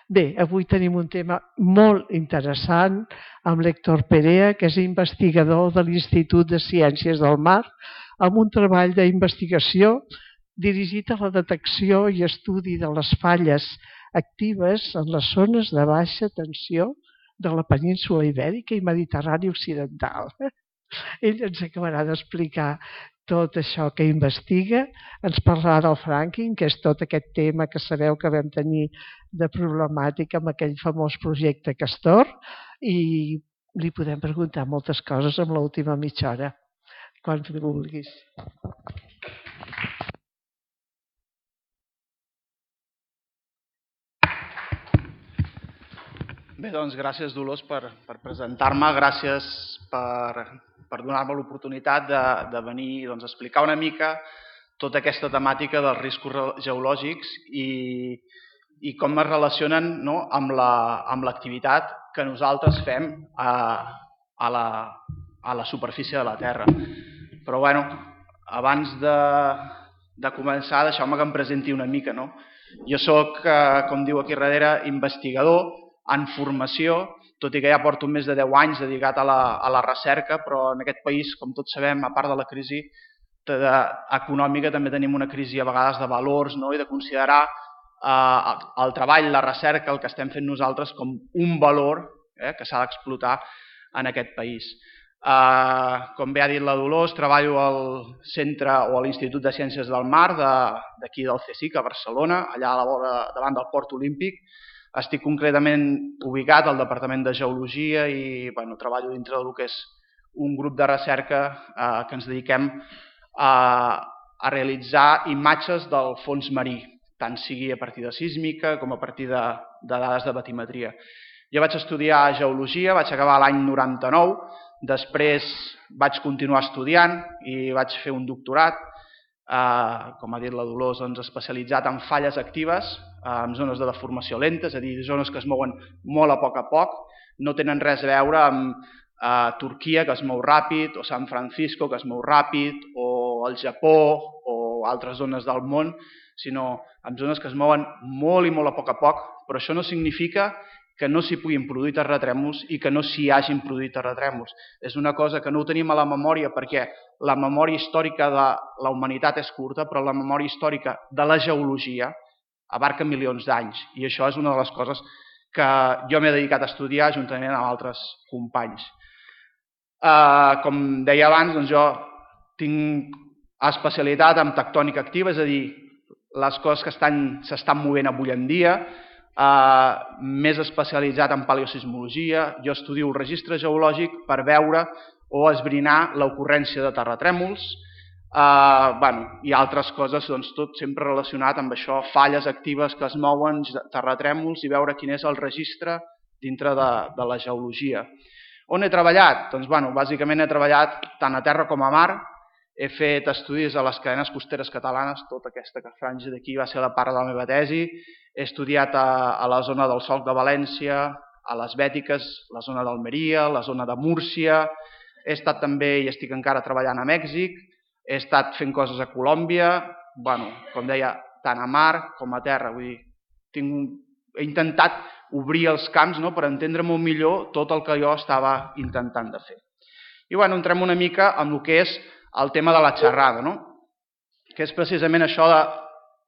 Bé, avui tenim un tema molt interessant amb l'Héctor Perea, que és investigador de l'Institut de Ciències del Mar, amb un treball d'investigació dirigit a la detecció i estudi de les falles actives en les zones de baixa tensió de la península Ibèrica i Mediterrani Occidental. Ell ens acabarà d'explicar tot això que investiga, ens parlarà del fracking, que és tot aquest tema que sabeu que vam tenir de problemàtica amb aquell famós projecte Castor, i li podem preguntar moltes coses en l'última mitja hora, quan vulguis. Bé, doncs gràcies, Dolors, per presentar-me, gràcies per donar-me l'oportunitat de venir a explicar una mica tota aquesta temàtica dels riscos geològics i com es relacionen amb l'activitat que nosaltres fem a la superfície de la Terra. Però, bueno, abans de començar, deixeu-me que em presenti una mica. Jo soc, com diu aquí darrere, investigador en formació, tot i que ja porto més de 10 anys dedicat a la recerca, però en aquest país, com tots sabem, a part de la crisi econòmica, també tenim una crisi a vegades de valors i de considerar el treball, la recerca, el que estem fent nosaltres com un valor que s'ha d'explotar en aquest país. Com bé ha dit la Dolors, treballo al centre o a l'Institut de Ciències del Mar d'aquí del CSIC, a Barcelona, allà a la vora davant del Port Olímpic. Estic concretament ubicat al Departament de Geologia i treballo dintre del que és un grup de recerca que ens dediquem a realitzar imatges del fons marí, tant sigui a partir de sísmica com a partir de dades de batimetria. Jo vaig estudiar Geologia, vaig acabar l'any 99, després vaig continuar estudiant i vaig fer un doctorat, com ha dit la Dolors, especialitzat en falles actives, en zones de deformació lenta, és a dir, zones que es mouen molt a poc, no tenen res a veure amb Turquia, que es mou ràpid, o San Francisco, que es mou ràpid, o el Japó, o altres zones del món, sinó en zones que es mouen molt i molt a poc, però això no significa que no s'hi puguin produir terratrèmols i que no s'hi hagin produït terratrèmols. És una cosa que no ho tenim a la memòria perquè la memòria històrica de la humanitat és curta, però la memòria històrica de la geologia abarca milions d'anys i això és una de les coses que jo m'he dedicat a estudiar juntament amb altres companys. Com deia abans, jo tinc especialitat en tectònica activa, és a dir, les coses que s'estan movent avui en dia, més especialitzat en paleosismologia. Jo estudio el registre geològic per veure o esbrinar l'ocurrència de terratrèmols i altres coses, tot sempre relacionat amb això, falles actives que es mouen, terratrèmols i veure quin és el registre dintre de la geologia. On he treballat? Doncs, bàsicament he treballat tant a terra com a mar. He fet estudis a les cadenes costeres catalanes, tota aquesta franja d'aquí va ser la part de la meva tesi. He estudiat a la zona del Solc de València, a les Bètiques, la zona d'Almeria, la zona de Múrcia. He estat també i estic encara treballant a Mèxic. He estat fent coses a Colòmbia, com deia, tant a mar com a terra. Vull dir, he intentat obrir els camps per entendre molt millor tot el que jo estava intentant de fer. I entrem una mica en el que és el tema de la xerrada, que és precisament això de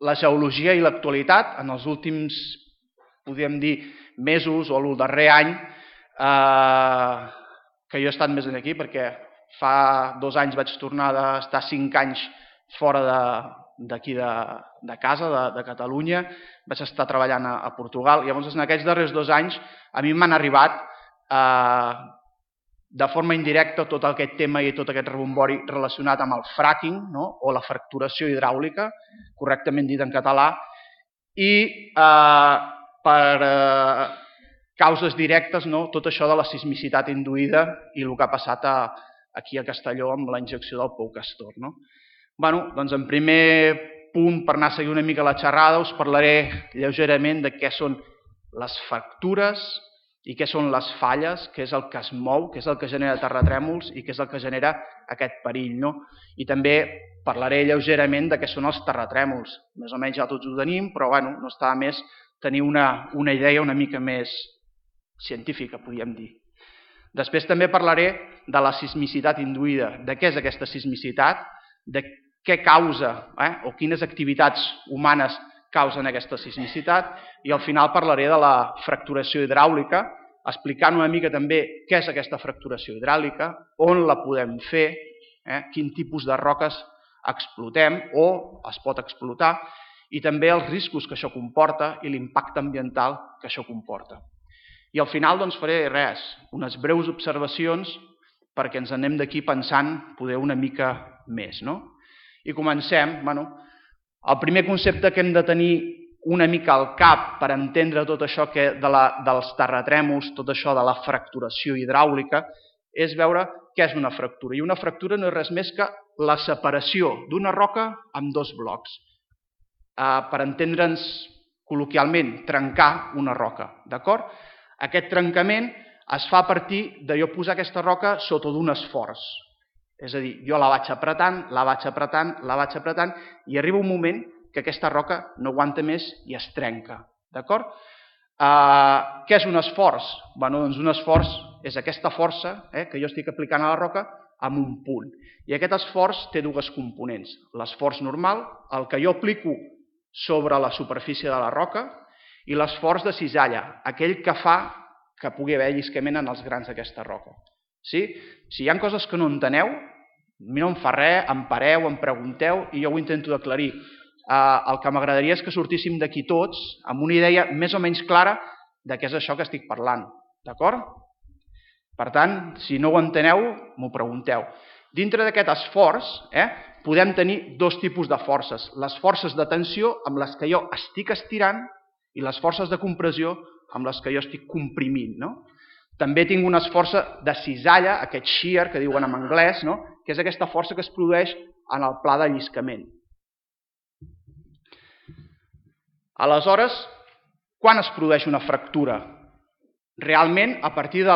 la geologia i l'actualitat. En els últims, podríem dir, mesos o el darrer any, que jo he estat més aquí, perquè fa 2 anys vaig tornar d'estar 5 anys fora d'aquí de casa, de Catalunya, vaig estar treballant a Portugal, i llavors en aquests darrers 2 anys a mi m'han arribat de forma indirecta tot aquest tema i tot aquest rebombori relacionat amb el fracking o la fracturació hidràulica, correctament dit en català, i per causes directes tot això de la sismicitat induïda i el que ha passat aquí a Castelló amb la injecció del pou Castor. Doncs en primer punt, per anar a seguir una mica la xerrada, us parlaré lleugerament de què són les fractures i què són les falles, què és el que es mou, què és el que genera terratrèmols i què és el que genera aquest perill. I també parlaré lleugerament de què són els terratrèmols. Més o menys ja tots ho tenim, però no està de més tenir una idea una mica més científica, podríem dir. Després també parlaré de la sismicitat induïda, de què és aquesta sismicitat, de què causa o quines activitats humanes causen aquesta sismicitat, i al final parlaré de la fracturació hidràulica, explicant una mica també què és aquesta fracturació hidràulica, on la podem fer, quin tipus de roques explotem o es pot explotar, i també els riscos que això comporta i l'impacte ambiental que això comporta. I al final faré unes breus observacions perquè ens anem d'aquí pensant poder una mica més. I comencem. El primer concepte que hem de tenir una mica al cap per entendre tot això dels terratrèmols, tot això de la fracturació hidràulica, és veure què és una fractura. I una fractura no és res més que la separació d'una roca en dos blocs. Per entendre'ns col·loquialment, trencar una roca. D'acord? Aquest trencament es fa a partir de jo posar aquesta roca sota d'un esforç. És a dir, jo la vaig apretant, la vaig apretant, la vaig apretant, i arriba un moment que aquesta roca no aguanta més i es trenca. D'acord? Què és un esforç? Doncs un esforç és aquesta força que jo estic aplicant a la roca amb un punt. I aquest esforç té dues components. L'esforç normal, el que jo aplico sobre la superfície de la roca, i l'esforç de cisalla, aquell que fa que pugui haver lliscament en els grans d'aquesta roca. Si hi ha coses que no enteneu, no em fa res, em pareu, em pregunteu i jo ho intento d'aclarir. El que m'agradaria és que sortíssim d'aquí tots amb una idea més o menys clara de què és això que estic parlant. D'acord? Per tant, si no ho enteneu, m'ho pregunteu. Dintre d'aquest esforç podem tenir dos tipus de forces. Les forces de tensió amb les que jo estic estirant i les forces de compressió amb les que jo estic comprimint. També tinc una força de cisalla, aquest shear que diuen en anglès, que és aquesta força que es produeix en el pla de lliscament. Aleshores, quan es produeix una fractura? Realment, a partir de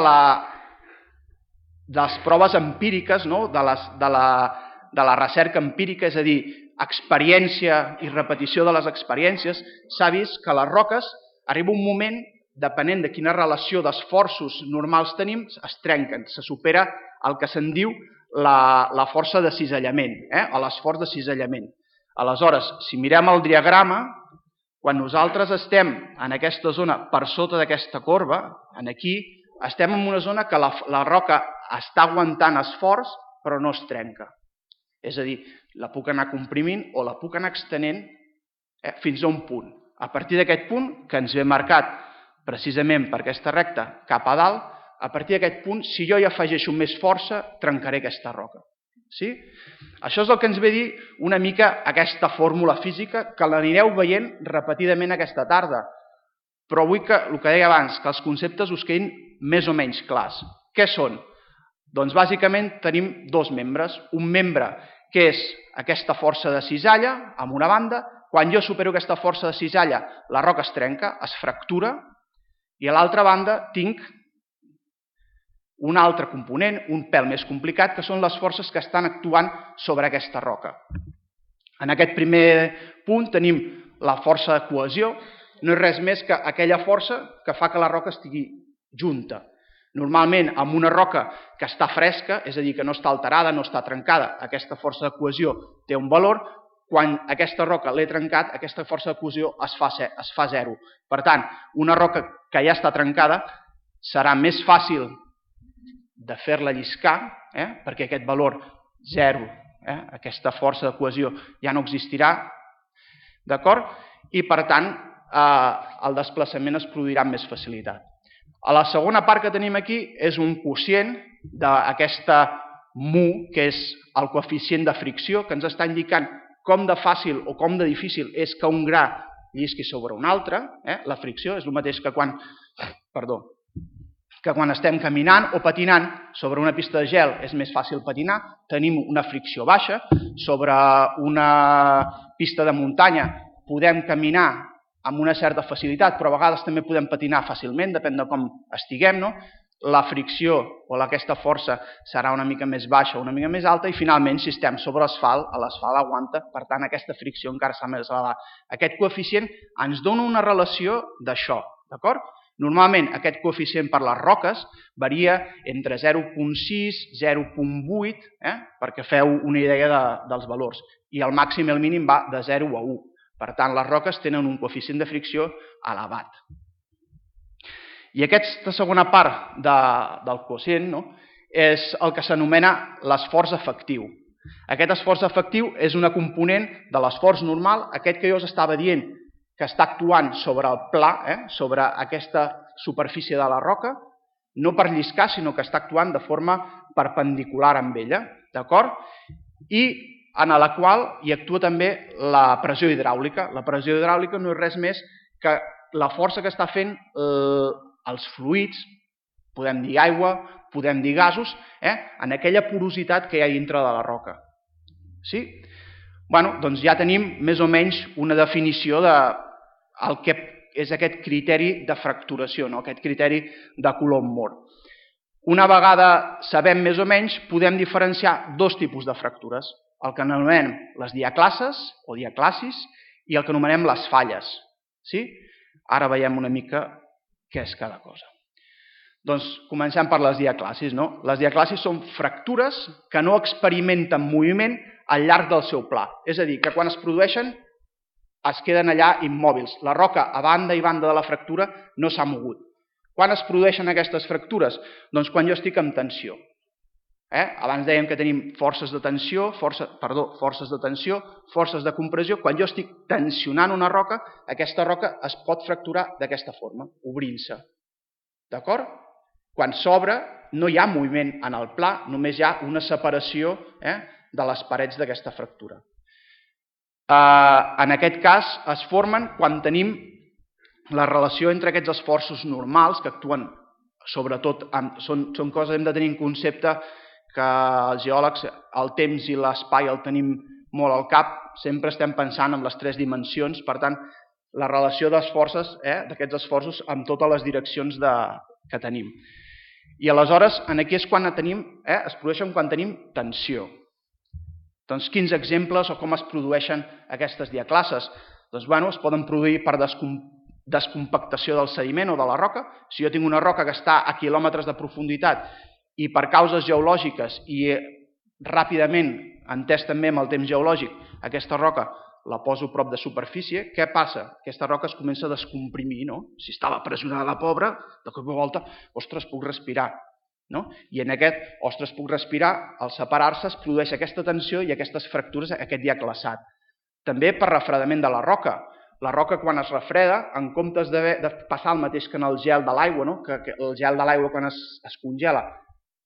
les proves empíriques, de la recerca empírica, és a dir, experiència i repetició de les experiències, s'ha vist que les roques arriba un moment, depenent de quina relació d'esforços normals tenim, es trenquen, se supera el que se'n diu la força de cisallament, o l'esforç de cisallament. Aleshores, si mirem el diagrama, quan nosaltres estem en aquesta zona per sota d'aquesta corba, aquí, estem en una zona que la roca està aguantant esforç, però no es trenca. És a dir, la puc anar comprimint o la puc anar extenent fins a un punt. A partir d'aquest punt, que ens ve marcat precisament per aquesta recta cap a dalt, a partir d'aquest punt, si jo hi afegeixo més força, trencaré aquesta roca. Això és el que ens ve a dir una mica aquesta fórmula física que l'anireu veient repetidament aquesta tarda. Però vull que, el que deia abans, que els conceptes us quedin més o menys clars. Què són? Doncs bàsicament tenim dos membres. Un membre que és aquesta força de cisalla, amb una banda. Quan jo supero aquesta força de cisalla, la roca es trenca, es fractura, i a l'altra banda tinc un altre component, un pèl més complicat, que són les forces que estan actuant sobre aquesta roca. En aquest primer punt tenim la força de cohesió, no és res més que aquella força que fa que la roca estigui junta. Normalment, amb una roca que està fresca, és a dir, que no està alterada, no està trencada, aquesta força de cohesió té un valor. Quan aquesta roca l'he trencat, aquesta força de cohesió es fa zero. Per tant, una roca que ja està trencada serà més fàcil de fer-la lliscar, perquè aquest valor zero, aquesta força de cohesió ja no existirà, d'acord? I per tant, el desplaçament es produirà amb més facilitat. A la segona part que tenim aquí és un quocient d'aquesta mu, que és el coeficient de fricció, que ens està indicant com de fàcil o com de difícil és que un gra llisqui sobre un altre. La fricció és el mateix que quan estem caminant o patinant sobre una pista de gel és més fàcil patinar, tenim una fricció baixa. Sobre una pista de muntanya podem caminar amb una certa facilitat, però a vegades també podem patinar fàcilment, depèn de com estiguem. la fricció o aquesta força serà una mica més baixa o una mica més alta i finalment si estem sobre l'asfalt, l'asfalt aguanta, per tant aquesta fricció encara serà més elevada. Aquest coeficient ens dona una relació d'això, d'acord? Normalment aquest coeficient per les roques varia entre 0,6 i 0,8, perquè feu una idea dels valors, i el màxim i el mínim va de 0 a 1. Per tant, les roques tenen un coeficient de fricció elevat. I aquesta segona part del quocient és el que s'anomena l'esforç efectiu. Aquest esforç efectiu és una component de l'esforç normal, aquest que jo us estava dient que està actuant sobre el pla, sobre aquesta superfície de la roca, no per lliscar, sinó que està actuant de forma perpendicular amb ella, d'acord? I en la qual hi actua també la pressió hidràulica. La pressió hidràulica no és res més que la força que està fent els fluids, podem dir aigua, podem dir gasos, en aquella porositat que hi ha dintre de la roca. Sí? Bé, doncs ja tenim més o menys una definició del que és aquest criteri de fracturació, aquest criteri de Coulomb-Moore. Una vegada sabem més o menys, podem diferenciar dos tipus de fractures, el que anomenem les diaclases o diaclasis i el que anomenem les falles. Sí? Ara veiem una mica què és cada cosa. Doncs comencem per les diaclasis. Les diaclasis són fractures que no experimenten moviment al llarg del seu pla. És a dir, que quan es produeixen es queden allà immòbils. La roca a banda i banda de la fractura no s'ha mogut. Quan es produeixen aquestes fractures? Doncs quan jo estic en tensió. Abans dèiem que tenim forces de tensió, forces de compressió. Quan jo estic tensionant una roca, aquesta roca es pot fracturar d'aquesta forma, obrint-se. D'acord? Quan s'obre no hi ha moviment en el pla, només hi ha una separació de les parets d'aquesta fractura. En aquest cas es formen quan tenim la relació entre aquests esforços normals que actuen sobretot, són coses que hem de tenir en concepte que els geòlegs el temps i l'espai el tenim molt al cap, sempre estem pensant en les tres dimensions, per tant la relació d'esforços, d'aquests esforços amb totes les direccions que tenim. I aleshores aquí és quan es produeixen quan tenim tensió. Doncs quins exemples o com es produeixen aquestes diaclases? Doncs es poden produir per descompactació del sediment o de la roca. Si jo tinc una roca que està a quilòmetres de profunditat i per causes geològiques i ràpidament, entès també amb el temps geològic, aquesta roca la poso prop de superfície, què passa? Aquesta roca es comença a descomprimir, no? Si estava pressionada la pobra, de cop i volta, ostres, puc respirar. I en aquest, ostres, puc respirar, al separar-se es produeix aquesta tensió i aquestes fractures, aquest diaclassat. També per refredament de la roca. La roca quan es refreda, en comptes de passar el mateix que en el gel de l'aigua, que el gel de l'aigua quan es congela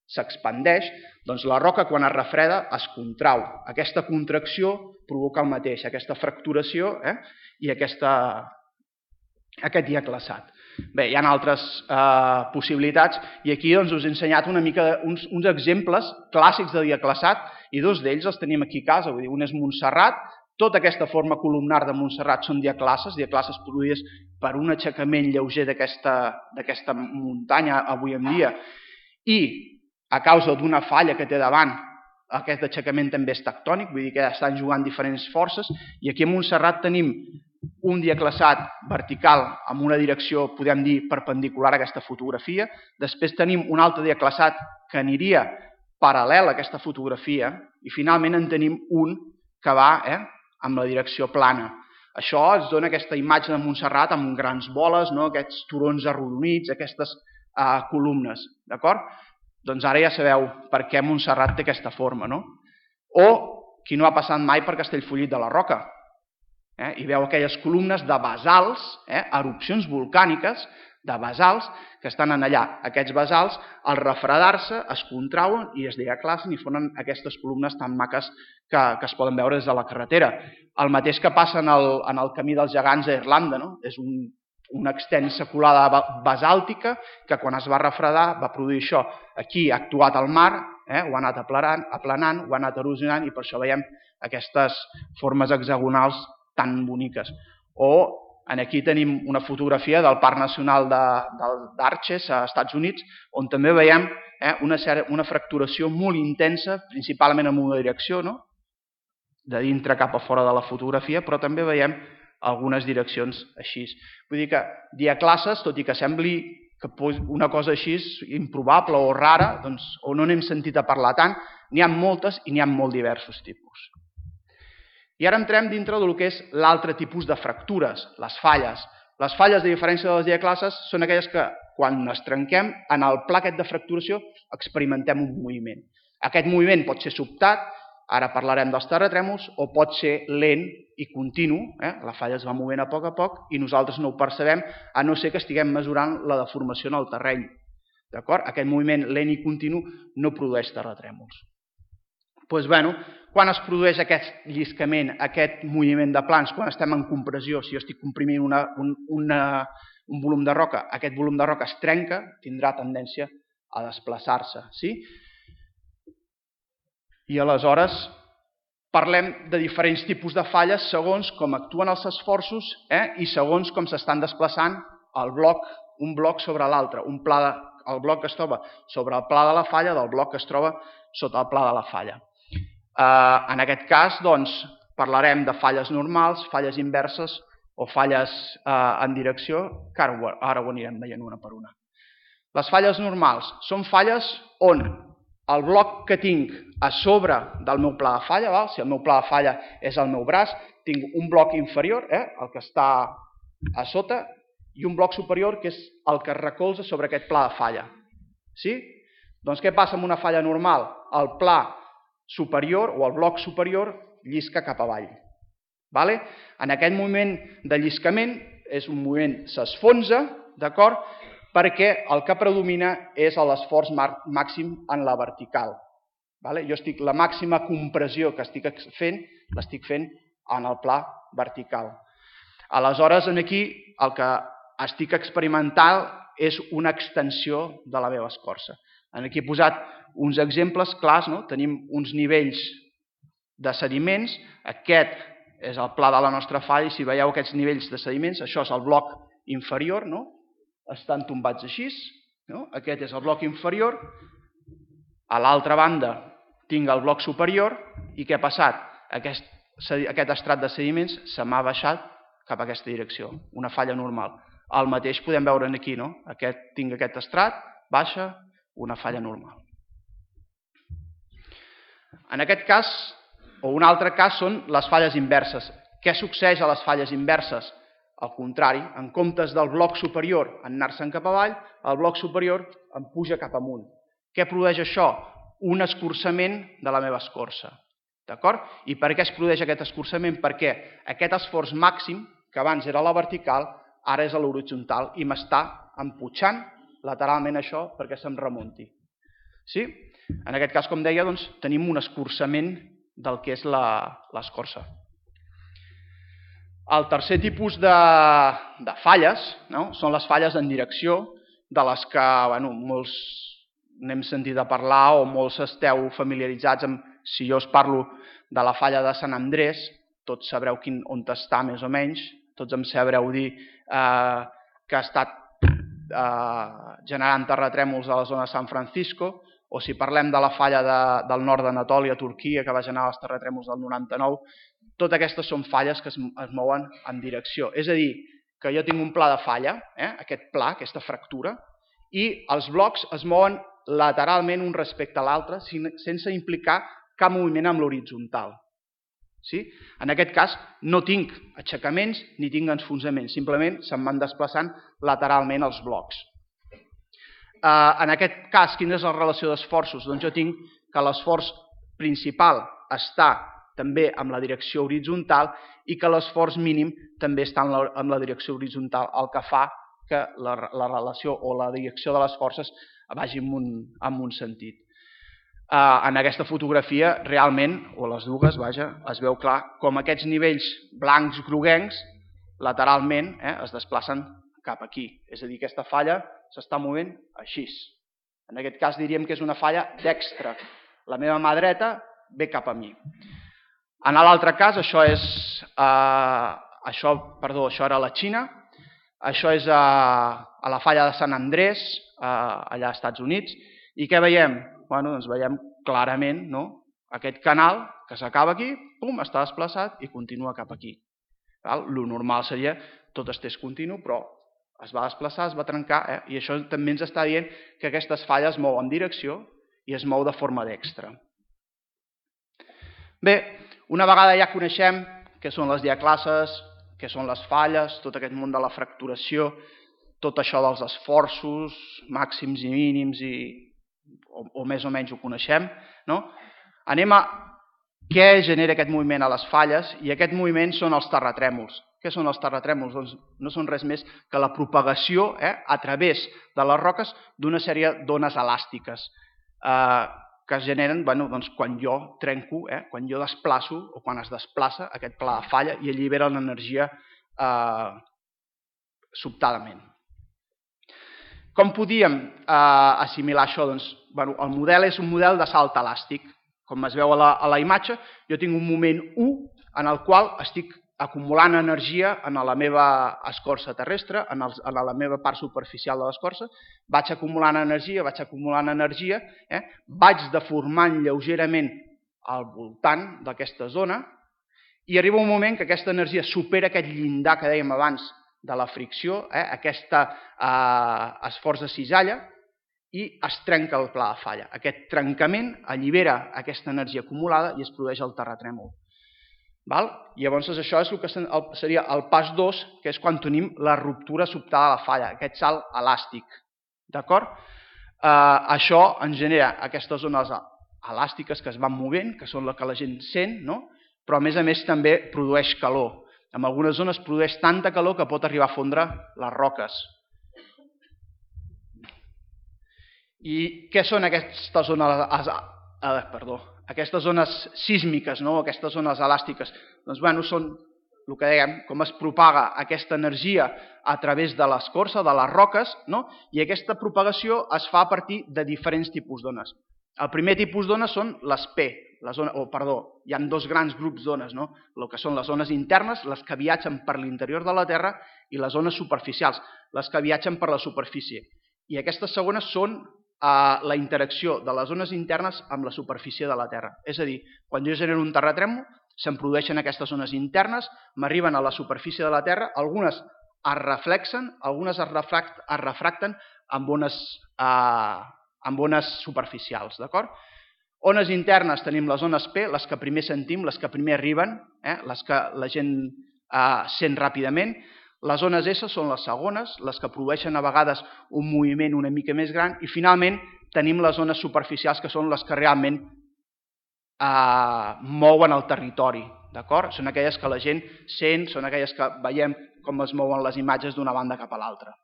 s'expandeix, doncs la roca quan es refreda es contrau. Aquesta contracció provoca el mateix, aquesta fracturació i aquest diaclassat. Bé, hi ha altres possibilitats i aquí us he ensenyat una mica uns exemples clàssics de diaclassat i dos d'ells els tenim aquí a casa. Un és Montserrat, tota aquesta forma columnar de Montserrat són diaclases produïdes per un aixecament lleuger d'aquesta muntanya avui en dia i a causa d'una falla que té davant, aquest aixecament també és tectònic, vull dir que estan jugant diferents forces, i aquí a Montserrat tenim un diaclassat vertical amb una direcció, podem dir, perpendicular a aquesta fotografia, després tenim un altre diaclassat que aniria paral·lel a aquesta fotografia, i finalment en tenim un que va amb la direcció plana. Això ens dona aquesta imatge de Montserrat amb grans boles, aquests turons arrodonits, aquestes columnes, d'acord? Doncs ara ja sabeu per què Montserrat té aquesta forma, no? O qui no ha passat mai per Castellfollit de la Roca i veu aquelles columnes de basalts, erupcions volcàniques de basalts que estan allà. Aquests basalts, al refredar-se, es contrauen i es diaclassen i formen aquestes columnes tan maques que es poden veure des de la carretera. El mateix que passa en el camí dels gegants a Irlanda, no? És una extensa colada basàltica que quan es va refredar va produir això. Aquí ha actuat el mar, ho ha anat aplanant, ho ha anat erosionant i per això veiem aquestes formes hexagonals tan boniques. O Aquí tenim una fotografia del Parc Nacional d'Arches, a Estats Units, on també veiem una fracturació molt intensa, principalment en una direcció, de dintre cap a fora de la fotografia, però també veiem algunes direccions així. Vull dir que diaclases, tot i que sembli que una cosa així improbable o rara, o no n'hem sentit a parlar tant, n'hi ha moltes i n'hi ha molt diversos tipus. I ara entrem dintre del que és l'altre tipus de fractures, les falles. Les falles, a diferència de les diaclases, són aquelles que, quan es trenquem, en el pla aquest de fracturació experimentem un moviment. Aquest moviment pot ser sobtat, ara parlarem dels terratrèmols, o pot ser lent i continu, la falla es va movent a poc i nosaltres no ho percebem, a no ser que estiguem mesurant la deformació en el terreny. Aquest moviment lent i continu no produeix terratrèmols. Quan es produeix aquest lliscament, aquest moviment de plans, quan estem en compressió, si jo estic comprimint un volum de roca, aquest volum de roca es trenca, tindrà tendència a desplaçar-se. I aleshores parlem de diferents tipus de falles segons com actuen els esforços i segons com s'estan desplaçant un bloc sobre l'altre, el bloc que es troba sobre el pla de la falla del bloc que es troba sota el pla de la falla. En aquest cas, parlarem de falles normals, falles inverses o falles en direcció, que ara ho anirem veient una per una. Les falles normals són falles on el bloc que tinc a sobre del meu pla de falla, si el meu pla de falla és el meu braç, tinc un bloc inferior, el que està a sota, i un bloc superior, que és el que es recolza sobre aquest pla de falla. Doncs què passa amb una falla normal? El pla superior o el bloc superior llisca cap avall. En aquest moment de lliscament és un moviment s'esfonsa, perquè el que predomina és l'esforç màxim en la vertical. La màxima compressió que estic fent, l'estic fent en el pla vertical. Aleshores, aquí el que estic experimentant és una extensió de la meva escorça. Aquí he posat uns exemples clars, tenim uns nivells de sediments, aquest és el pla de la nostra falla i si veieu aquests nivells de sediments, això és el bloc inferior, estan tombats així, aquest és el bloc inferior, a l'altra banda tinc el bloc superior i què ha passat? Aquest estrat de sediments se m'ha baixat cap a aquesta direcció, una falla normal. El mateix podem veure aquí, tinc aquest estrat, baixa, una falla normal. En aquest cas, o un altre cas, són les falles inverses. Què succeeix a les falles inverses? Al contrari, en comptes del bloc superior en anar-se'n cap avall, el bloc superior em puja cap amunt. Què produeix això? Un escurçament de la meva escorça. I per què es produeix aquest escurçament? Perquè aquest esforç màxim, que abans era a la vertical, ara és a l'horitzontal i m'està empujant lateralment això perquè se'm remunti. En aquest cas, com deia, tenim un escurçament del que és l'escorça. El tercer tipus de falles són les falles en direcció, de les que molts n'hem sentit a parlar o molts esteu familiaritzats amb, si jo us parlo de la falla de Sant Andrés, tots sabreu on està més o menys, tots em sabreu dir que ha estat generant terratrèmols a la zona de San Francisco, o si parlem de la falla del nord d'Anatòlia, Turquia, que va generar els terratrèmols del 99, totes aquestes són falles que es mouen en direcció. És a dir, que jo tinc un pla de falla, aquest pla, aquesta fractura, i els blocs es mouen lateralment un respecte a l'altre sense implicar cap moviment amb l'horitzontal. En aquest cas no tinc aixecaments ni tinc enfonsaments, simplement se'm van desplaçant lateralment els blocs. En aquest cas, quina és la relació d'esforços? Doncs jo tinc que l'esforç principal està també en la direcció horitzontal i que l'esforç mínim també està en la direcció horitzontal, el que fa que la relació o la direcció de les forces vagi en un sentit. En aquesta fotografia, realment, o les dues, es veu clar com aquests nivells blancs groguencs lateralment es desplacen cap aquí. És a dir, aquesta falla s'està movent així. En aquest cas diríem que és una falla dextra. La meva mà dreta ve cap a mi. En l'altre cas, això és això era la Xina, això és a la falla de Sant Andrés, allà als Estats Units, i què veiem? Doncs veiem clarament aquest canal que s'acaba aquí, pum, està desplaçat i continua cap aquí. Lo normal seria tot estés continu, però es va desplaçar, es va trencar, i això també ens està dient que aquestes falles es mouen en direcció i es mou de forma dextra. Bé, una vegada ja coneixem què són les diaclasses, què són les falles, tot aquest món de la fracturació, tot això dels esforços màxims i mínims, o més o menys ho coneixem, anem a què genera aquest moviment a les falles, i aquest moviment són els terratrèmols. Què són els terratrèmols? Doncs no són res més que la propagació a través de les roques d'una sèrie d'ones elàstiques que es generen quan jo trenco, quan jo desplaço o quan es desplaça aquest pla de falla i allibera l'energia sobtadament. Com podíem assimilar això? Doncs el model és un model de salt elàstic. Com es veu a la imatge, jo tinc un moment 1 en el qual estic acumulant energia en la meva escorça terrestre, en la meva part superficial de l'escorça, vaig acumulant energia, vaig deformant lleugerament al voltant d'aquesta zona i arriba un moment que aquesta energia supera aquest llindar que dèiem abans de la fricció, aquest esforç de cisalla, i es trenca el pla de falla. Aquest trencament allibera aquesta energia acumulada i es produeix el terratrèmol. Llavors això és el que seria el pas 2, que és quan tenim la ruptura sobtada de la falla, aquest salt elàstic. Això ens genera aquestes zones elàstiques que es van movent, que són les que la gent sent, però a més també produeix calor. En algunes zones produeix tanta calor que pot arribar a fondre les roques. I què són aquestes zones sísmiques, aquestes zones elàstiques? Doncs són el que dèiem, com es propaga aquesta energia a través de l'escorça, de les roques, i aquesta propagació es fa a partir de diferents tipus d'ones. El primer tipus d'ones són les P, hi ha dos grans grups d'ones, el que són les ones internes, les que viatgen per l'interior de la Terra, i les ones superficials, les que viatgen per la superfície. I aquestes segones són la interacció de les ones internes amb la superfície de la Terra. És a dir, quan jo genero un terratrèmol, se'n produeixen aquestes ones internes, m'arriben a la superfície de la Terra, algunes es reflexen, algunes es refracten amb ones superficials. Ones internes tenim les ones P, les que primer sentim, les que primer arriben, les que la gent sent ràpidament. Les ones S són les segones, les que produeixen a vegades un moviment una mica més gran, i finalment tenim les ones superficials, que són les que realment mouen el territori. Són aquelles que la gent sent, són aquelles que veiem com es mouen les imatges d'una banda cap a l'altra.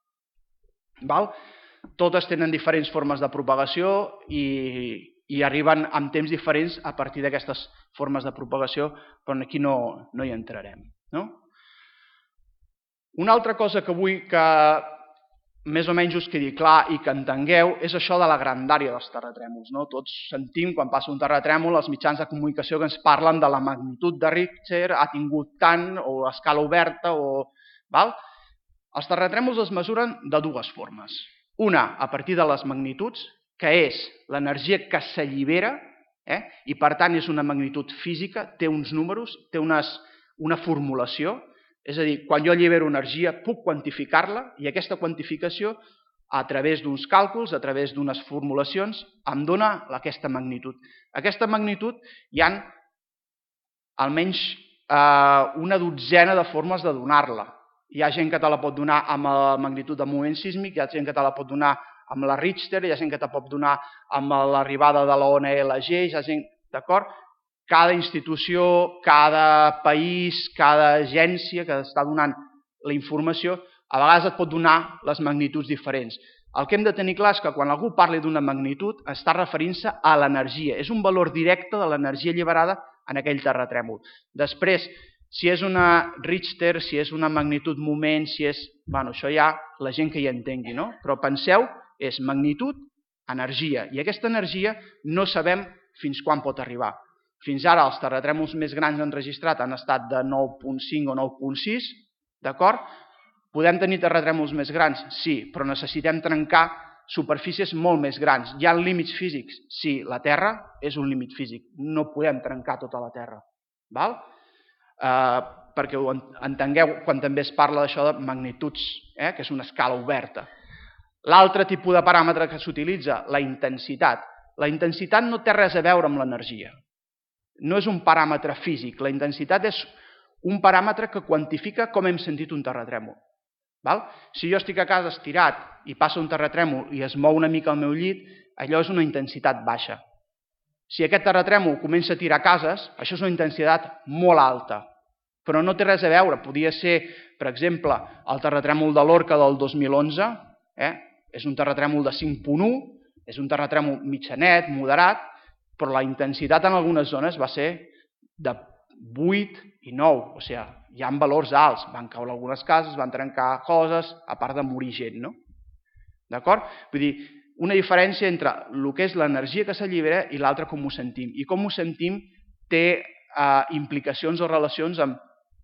Totes tenen diferents formes de propagació i arriben amb temps diferents a partir d'aquestes formes de propagació, però aquí no hi entrarem. Una altra cosa que vull que més o menys us quedi clar i que entengueu és això de la grandària dels terratrèmols. Tots sentim, quan passa un terratrèmol, els mitjans de comunicació que ens parlen de la magnitud de Richter, ha tingut tant, o a escala oberta, Els terratrèmols es mesuren de dues formes. Una, a partir de les magnituds, que és l'energia que s'allibera, i per tant és una magnitud física, té uns números, té una formulació. És a dir, quan jo allibero energia puc quantificar-la i aquesta quantificació a través d'uns càlculs, a través d'unes formulacions, em dona aquesta magnitud. Aquesta magnitud hi ha almenys una dotzena de formes de donar-la. Hi ha gent que te la pot donar amb la magnitud de moviment sísmic, hi ha gent que te la pot donar amb la Richter, hi ha gent que te pot donar amb l'arribada de la ona LG, hi ha gent, d'acord? Cada institució, cada país, cada agència que està donant la informació, a vegades et pot donar les magnituds diferents. El que hem de tenir clar és que quan algú parli d'una magnitud està referint-se a l'energia. És un valor directe de l'energia alliberada en aquell terratrèmol. Després, si és una Richter, si és una magnitud moment, si és... Això ja la gent que hi entengui, no? Però penseu, és magnitud, energia. I aquesta energia no sabem fins quan pot arribar. Fins ara els terratrèmols més grans enregistrats han estat de 9.5 o 9.6, d'acord? Podem tenir terratrèmols més grans? Sí, però necessitem trencar superfícies molt més grans. Hi ha límits físics? Sí, la Terra és un límit físic. No podem trencar tota la Terra. Val? Perquè ho entengueu quan també es parla d'això de magnituds, que és una escala oberta. L'altre tipus de paràmetre que s'utilitza, la intensitat. La intensitat no té res a veure amb l'energia. No és un paràmetre físic. La intensitat és un paràmetre que quantifica com hem sentit un terratrèmol. Si jo estic a casa estirat i passa un terratrèmol i es mou una mica al meu llit, allò és una intensitat baixa. Si aquest terratrèmol comença a tirar cases, això és una intensitat molt alta, però no té res a veure. Podia ser, per exemple, el terratrèmol de Lorca del 2011, és un terratrèmol de 5.1, és un terratrèmol mitjanet, moderat, però la intensitat en algunes zones va ser de 8 i 9, o sigui, hi ha valors alts, van caure algunes cases, van trencar coses, a part de morir gent, no? D'acord? Vull dir, una diferència entre el que és l'energia que s'allibera i l'altre com ho sentim. I com ho sentim té implicacions o relacions amb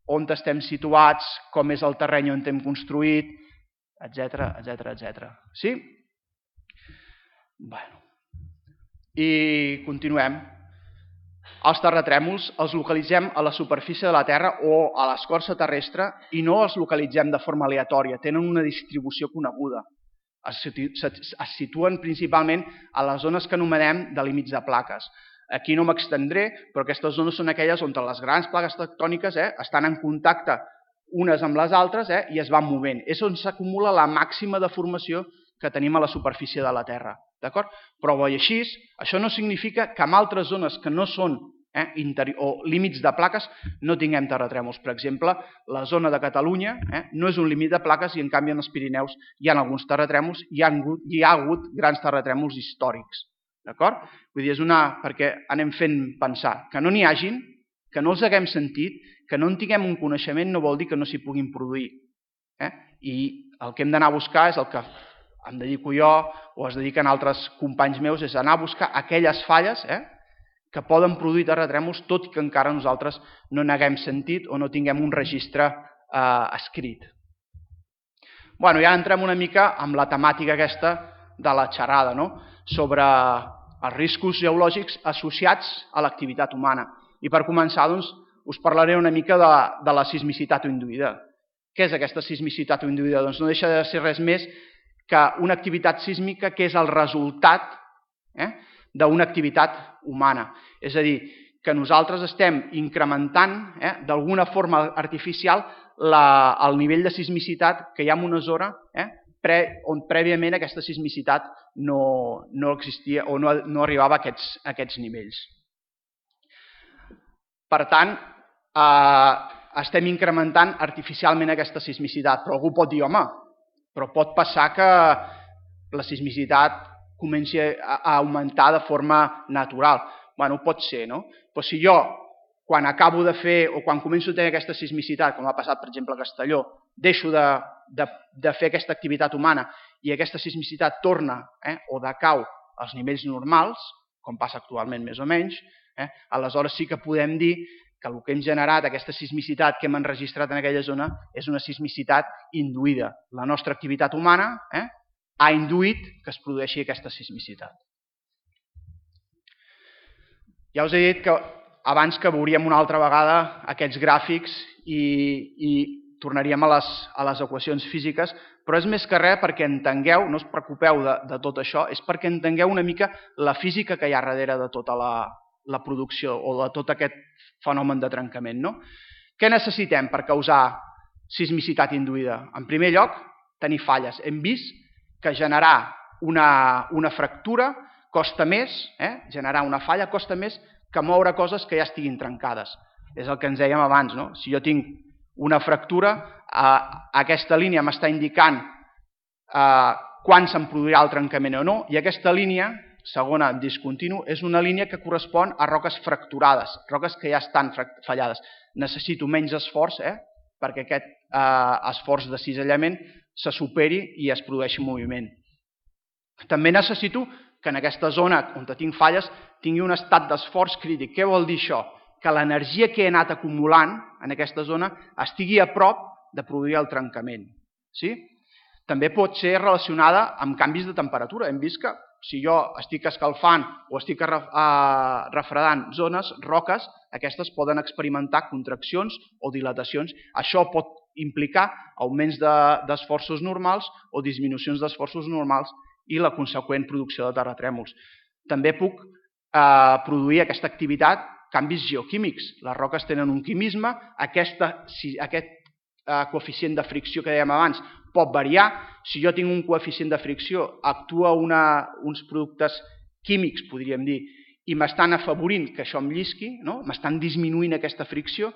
on estem situats, com és el terreny on hem construït, etc, etc, etc. Sí? Bueno. I continuem. Els terratrèmols els localitzem a la superfície de la Terra o a l'escorça terrestre i no els localitzem de forma aleatòria, tenen una distribució coneguda. Es situen principalment a les zones que anomenem de límits de plaques. Aquí no m'extendré, però aquestes zones són aquelles on les grans plaques tectòniques estan en contacte unes amb les altres i es van movent. És on s'acumula la màxima deformació que tenim a la superfície de la Terra. Però bo i així, això no significa que en altres zones que no són o límits de plaques no tinguem terratrèmols. Per exemple, la zona de Catalunya no és un límit de plaques i en canvi en els Pirineus hi ha alguns terratrèmols i hi ha hagut grans terratrèmols històrics. Vull dir, és perquè anem fent pensar que no n'hi hagin, que no els haguem sentit, que no en tinguem un coneixement no vol dir que no s'hi puguin produir. I el que hem d'anar a buscar és el que em dedico jo o es dediquen altres companys meus, és anar a buscar aquelles falles que poden produir terratrèmols tot i que encara nosaltres no n'haguem sentit o no tinguem un registre escrit. Bueno, ja entrem una mica amb la temàtica aquesta de la xerrada, sobre els riscos geològics associats a l'activitat humana. I per començar, us parlaré una mica de la sismicitat induïda. Què és aquesta sismicitat induïda? Doncs no deixa de ser res més que una activitat sísmica que és el resultat d'una activitat humana. És a dir, que nosaltres estem incrementant d'alguna forma artificial el nivell de sismicitat que hi ha en una zona on prèviament aquesta sismicitat no existia o no arribava a aquests nivells. Per tant, estem incrementant artificialment aquesta sismicitat, però algú pot dir, home, però pot passar que la sismicitat comenci a augmentar de forma natural. Bueno, pot ser, no? Però si jo, quan acabo de fer o quan començo a tenir aquesta sismicitat, com ha passat, per exemple, a Castelló, deixo de fer aquesta activitat humana i aquesta sismicitat torna o decau als nivells normals, com passa actualment més o menys, aleshores sí que podem dir que el que hem generat, aquesta sismicitat que hem enregistrat en aquella zona, és una sismicitat induïda. La nostra activitat humana ha induït que es produeixi aquesta sismicitat. Ja us he dit que abans que veuríem una altra vegada aquests gràfics i tornaríem a les equacions físiques, però és més que res perquè entengueu, no us preocupeu de tot això, és perquè entengueu una mica la física que hi ha darrere de tota la producció o de tot aquest fenomen de trencament. Què necessitem per causar sismicitat induïda? En primer lloc, tenir falles. Hem vist que generar una fractura costa més, generar una falla costa més que moure coses que ja estiguin trencades. És el que ens dèiem abans, no? Si jo tinc una fractura, aquesta línia m'està indicant quan se'n produirà el trencament o no, i aquesta línia, segona discontinu, és una línia que correspon a roques fracturades, roques que ja estan fallades. Necessito menys esforç perquè aquest esforç de cisallament se superi i es produeixi moviment. També necessito que en aquesta zona on tinc falles tingui un estat d'esforç crític. Què vol dir això? Que l'energia que he anat acumulant en aquesta zona estigui a prop de produir el trencament. Sí? També pot ser relacionada amb canvis de temperatura. Hem vist que si jo estic escalfant o estic refredant zones, roques, aquestes poden experimentar contraccions o dilatacions. Això pot implicar augments d'esforços normals o disminucions d'esforços normals i la conseqüent producció de terratrèmols. També puc produir aquesta activitat canvis geoquímics. Les roques tenen un quimisme, aquest coeficient de fricció que dèiem abans pot variar. Si jo tinc un coeficient de fricció, actua uns productes químics, podríem dir, i m'estan afavorint que això em llisqui, m'estan disminuint aquesta fricció,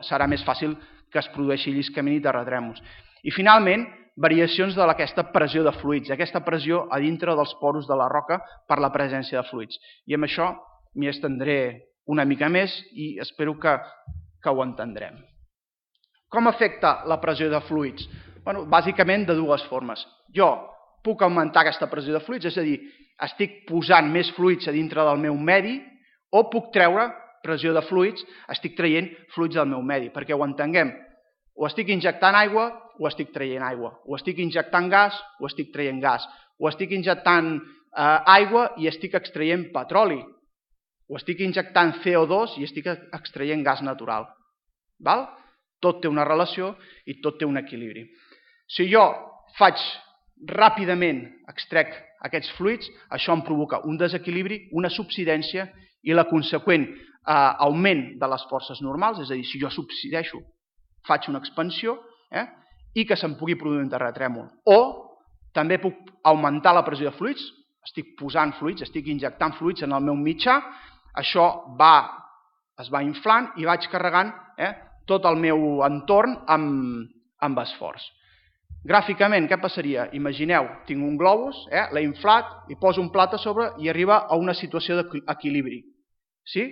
serà més fàcil que es produeixi lliscament i terratrèmols. I finalment, variacions d'aquesta pressió de fluids, aquesta pressió a dintre dels poros de la roca per la presència de fluids. I amb això m'hi estendré una mica més i espero que ho entendrem. Com afecta la pressió de fluids? Bàsicament de dues formes. Jo puc augmentar aquesta pressió de fluids, és a dir, estic posant més fluids a dintre del meu medi, o puc treure pressió de fluids, estic traient fluids del meu medi. Perquè ho entenguem, o estic injectant aigua o estic traient aigua, o estic injectant gas o estic traient gas, o estic injectant aigua i estic extraient petroli, o estic injectant CO2 i estic extraient gas natural. Tot té una relació i tot té un equilibri. Si jo faig ràpidament, extrec aquests fluids, això em provoca un desequilibri, una subsidència i la conseqüent augment de les forces normals, és a dir, si jo subsideixo, faig una expansió i que se'n pugui produir un terratrèmol. O també puc augmentar la pressió de fluids, estic posant fluids, estic injectant fluids en el meu mitjà, això es va inflant i vaig carregant tot el meu entorn amb esforç. Gràficament, què passaria? Imagineu, tinc un globus, l'he inflat, hi poso un plat a sobre i arriba a una situació d'equilibri. Sí?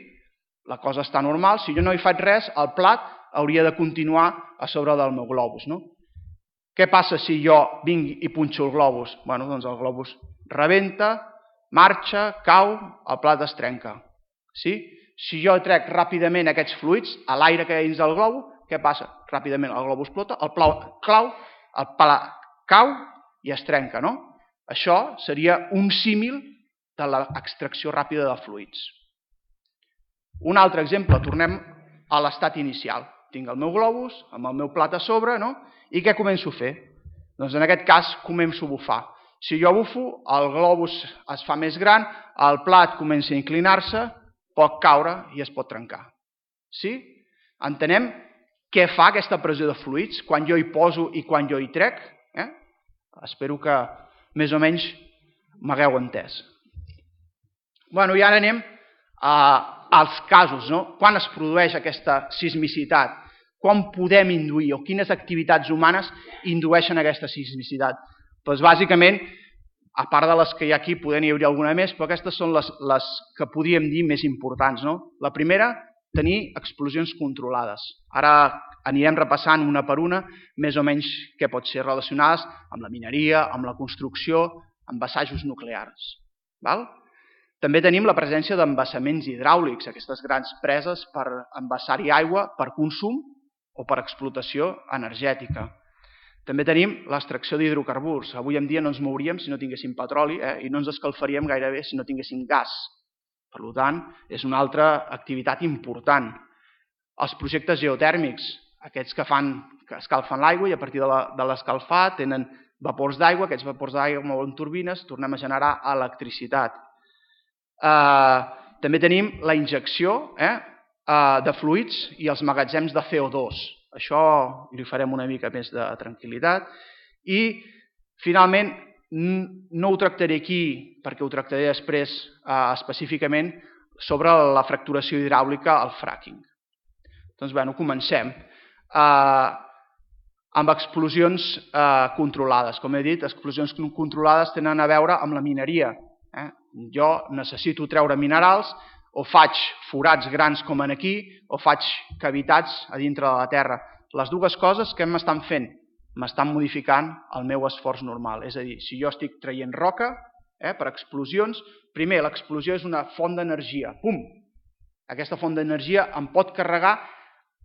La cosa està normal, si jo no hi faig res, el plat hauria de continuar a sobre del meu globus. Què passa si jo vinc i punxo el globus? Doncs el globus rebenta, marxa, cau, el plat es trenca. Si jo trec ràpidament aquests fluids a l'aire que hi ha dins del globus, què passa? Ràpidament el globus explota, el plat cau i es trenca. Això seria un símil de l'extracció ràpida de fluids. Un altre exemple, tornem a l'estat inicial. Tinc el meu globus amb el meu plat a sobre, i què començo a fer? Doncs en aquest cas començo a bufar. Si jo bufo, el globus es fa més gran, el plat comença a inclinar-se, pot caure i es pot trencar. Sí? Entenem què fa aquesta pressió de fluids quan jo hi poso i quan jo hi trec? Espero que més o menys m'hagueu entès. I ara anem als casos. Quan es produeix aquesta sismicitat? Quan podem induir o quines activitats humanes indueixen aquesta sismicitat? Bàsicament, a part de les que hi ha aquí, poder n'hi hauria alguna més, però aquestes són les que podríem dir més importants. La primera, tenir explosions controlades. Ara anirem repassant una per una, més o menys què pot ser relacionades amb la mineria, amb la construcció, amb assajos nuclears. També tenim la presència d'embassaments hidràulics, aquestes grans preses per embassar-hi aigua per consum o per explotació energètica. També tenim l'extracció d'hidrocarburs. Avui en dia no ens mouríem si no tinguéssim petroli i no ens escalfaríem gairebé si no tinguéssim gas. Per tant, és una altra activitat important. Els projectes geotèrmics, aquests que escalfen l'aigua i a partir de l'escalfar tenen vapors d'aigua, aquests vapors d'aigua mouen turbines, tornem a generar electricitat. També tenim la injecció de fluids i els magatzems de CO2. Això li farem una mica més de tranquil·litat. I, finalment, no ho tractaré aquí, perquè ho tractaré després específicament, sobre la fracturació hidràulica, el fracking. Doncs, comencem. Amb explosions controlades. Com he dit, explosions controlades tenen a veure amb la mineria. Jo necessito treure minerals, o faig forats grans com aquí, o faig cavitats a dintre de la terra. Les dues coses que m'estan fent? M'estan modificant el meu esforç normal. És a dir, si jo estic traient roca, per explosions. Primer, l'explosió és una font d'energia. Pum! Aquesta font d'energia em pot carregar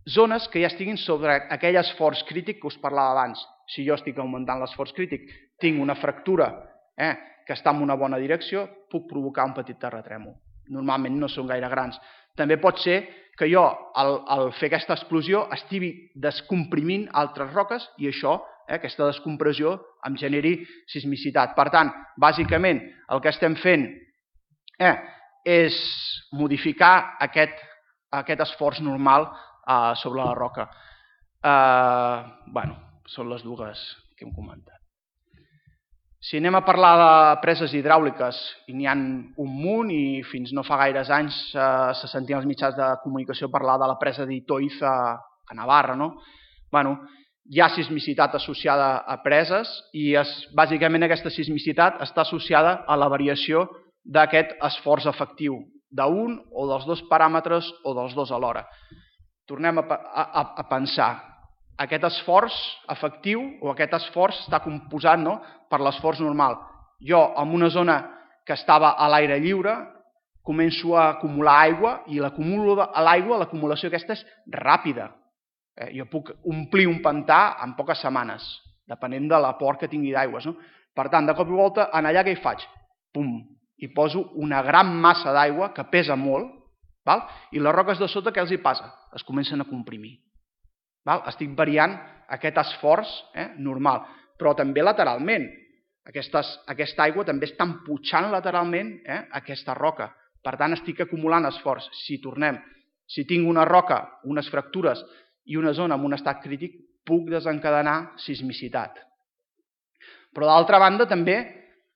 zones que ja estiguin sobre aquell esforç crític que us parlava abans. Si jo estic augmentant l'esforç crític, tinc una fractura que està en una bona direcció, puc provocar un petit terratrèmol. Normalment no són gaire grans. També pot ser que jo, al fer aquesta explosió, estigui descomprimint altres roques i això, aquesta descompressió, em generi sismicitat. Per tant, bàsicament, el que estem fent és modificar aquest esforç normal sobre la roca. Són les dues que hem comentat. Si anem a parlar de preses hidràuliques, i n'hi ha un munt, i fins no fa gaires anys se sentien els mitjans de comunicació parlar de la presa d'Itoiz a Navarra. Hi ha sismicitat associada a preses i bàsicament aquesta sismicitat està associada a la variació d'aquest esforç efectiu, d'un o dels dos paràmetres o dels dos alhora. Tornem a pensar. Aquest esforç efectiu o aquest esforç està composat per l'esforç normal. Jo, en una zona que estava a l'aire lliure, començo a acumular aigua i l'acumulació aquesta és ràpida. Jo puc omplir un pantà en poques setmanes, depenent de l'aport que tingui d'aigües. Per tant, de cop i volta, allà què hi faig? Pum! I poso una gran massa d'aigua que pesa molt, i les roques de sota què els hi passa? Es comencen a comprimir. Estic variant aquest esforç normal, però també lateralment. Aquesta aigua també està emputxant lateralment aquesta roca. Per tant, estic acumulant esforç. Si tinc una roca, unes fractures i una zona en un estat crític, puc desencadenar sismicitat. Però d'altra banda també,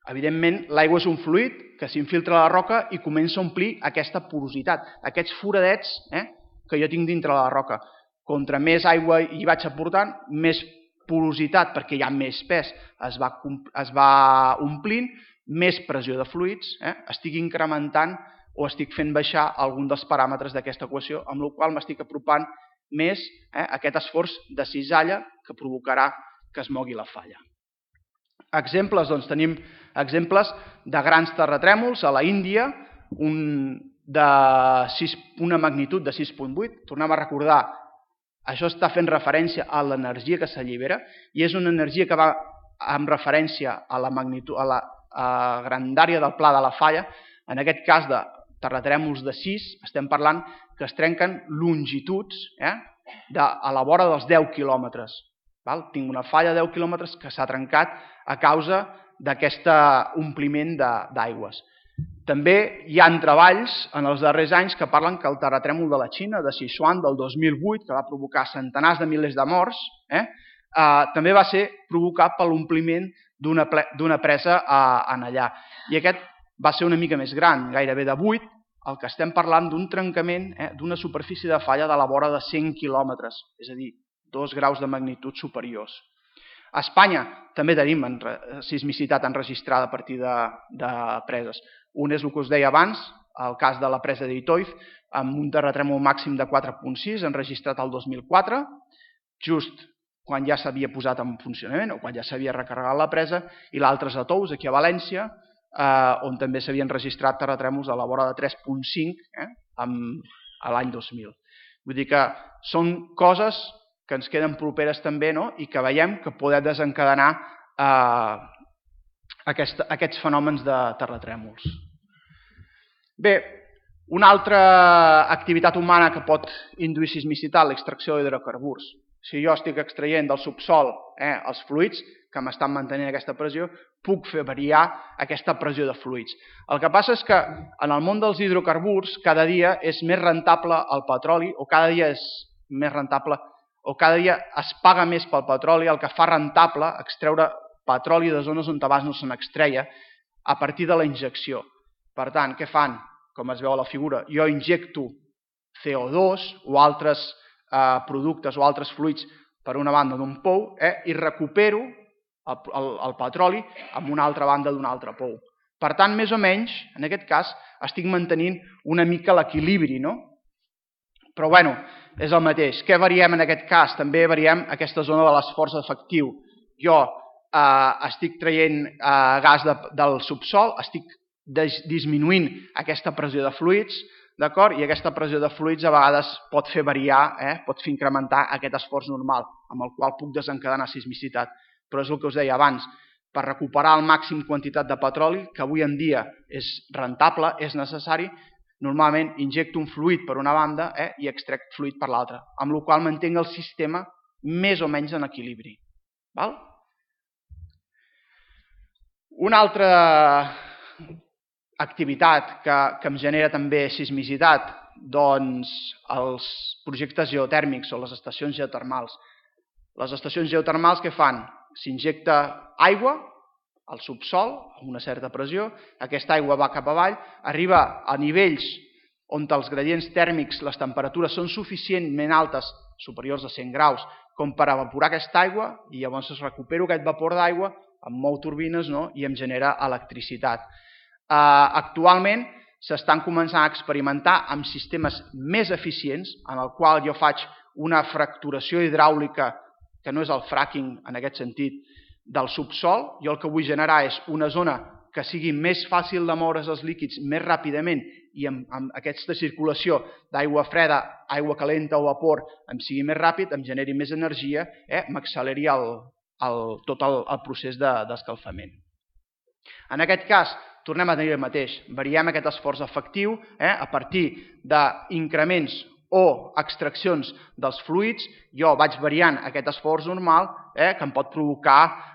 evidentment, l'aigua és un fluid que s'infiltra a la roca i comença a omplir aquesta porositat, aquests foradets que jo tinc dintre la roca. Contra més aigua hi vaig aportant, més porositat, perquè hi ha més pes, es va omplint, més pressió de fluids, estic incrementant o estic fent baixar algun dels paràmetres d'aquesta equació, amb la qual m'estic apropant més a aquest esforç de cisalla que provocarà que es mogui la falla. Exemples, doncs tenim exemples de grans terratrèmols a la Índia, una magnitud de 6.8, tornem a recordar. Això està fent referència a l'energia que s'allibera i és una energia que va amb referència a la grandària del pla de la falla. En aquest cas de terratrèmols de 6 estem parlant que es trenquen longituds a la vora dels 10 quilòmetres. Tinc una falla de 10 quilòmetres que s'ha trencat a causa d'aquest ompliment d'aigües. També hi ha treballs en els darrers anys que parlen que el terratrèmol de la Xina, de Sichuan, del 2008, que va provocar centenars de milers de morts, també va ser provocat per l'ompliment d'una presa allà. I aquest va ser una mica més gran, gairebé de 8, el que estem parlant d'un trencament d'una superfície de falla de la vora de 100 quilòmetres, és a dir, 2 graus de magnitud superiors. A Espanya també tenim sismicitat enregistrada a partir de preses. Un és el que us deia abans, el cas de la presa d'Itoiz, amb un terratrèmol màxim de 4.6, enregistrat el 2004, just quan ja s'havia posat en funcionament o quan ja s'havia recarregat la presa, i l'altre és a Tous, aquí a València, on també s'havien registrat terratrèmols a la vora de 3.5 a l'any 2000. Vull dir que són coses que ens queden properes també i que veiem que poden desencadenar aquests fenòmens de terratrèmols. Bé, una altra activitat humana que pot induir sismicitat, l'extracció d'hidrocarburs. Si jo estic extraient del subsol els fluids que m'estan mantenint aquesta pressió, puc fer variar aquesta pressió de fluids. El que passa és que en el món dels hidrocarburs cada dia és més rentable el petroli o cada dia és més rentable o cada dia es paga més pel petroli, el que fa rentable extreure petroli de zones on abans no se n'extreia a partir de la injecció. Per tant, què fan? Com es veu a la figura, jo injecto CO2 o altres productes o altres fluids per una banda d'un pou i recupero el petroli amb una altra banda d'un altre pou. Per tant, més o menys, en aquest cas, estic mantenint una mica l'equilibri, no? Però bueno, és el mateix. Què variem en aquest cas? També variem aquesta zona de l'esforç efectiu. Jo estic traient gas del subsòl, estic disminuint aquesta pressió de fluids, d'acord? I aquesta pressió de fluids a vegades pot fer variar, pot fer incrementar aquest esforç normal, amb el qual puc desencadenar sismicitat. Però és el que us deia abans, per recuperar el màxim quantitat de petroli, que avui en dia és rentable, és necessari, normalment injecto un fluid per una banda i extrec fluid per l'altra, amb la qual cosa mantenc el sistema més o menys en equilibri. Una altra activitat que em genera també sismicitat, doncs els projectes geotèrmics o les estacions geotermals. Les estacions geotermals què fan? S'injecta aigua al subsòl, amb una certa pressió, aquesta aigua va cap avall, arriba a nivells on els gradients tèrmics, les temperatures són suficientment altes, superiors a 100 graus, com per evaporar aquesta aigua, i llavors recupero aquest vapor d'aigua, em mou turbines i em genera electricitat. Actualment s'estan començant a experimentar amb sistemes més eficients, en el qual jo faig una fracturació hidràulica, que no és el fracking en aquest sentit, del subsòl. Jo el que vull generar és una zona que sigui més fàcil de moure's els líquids més ràpidament i amb aquesta circulació d'aigua freda, aigua calenta o vapor em sigui més ràpid, em generi més energia, m'acceleri tot el procés d'escalfament. En aquest cas, tornem a tenir el mateix, variem aquest esforç efectiu a partir d'increments o extraccions dels fluids, jo vaig variant aquest esforç normal que em pot provocar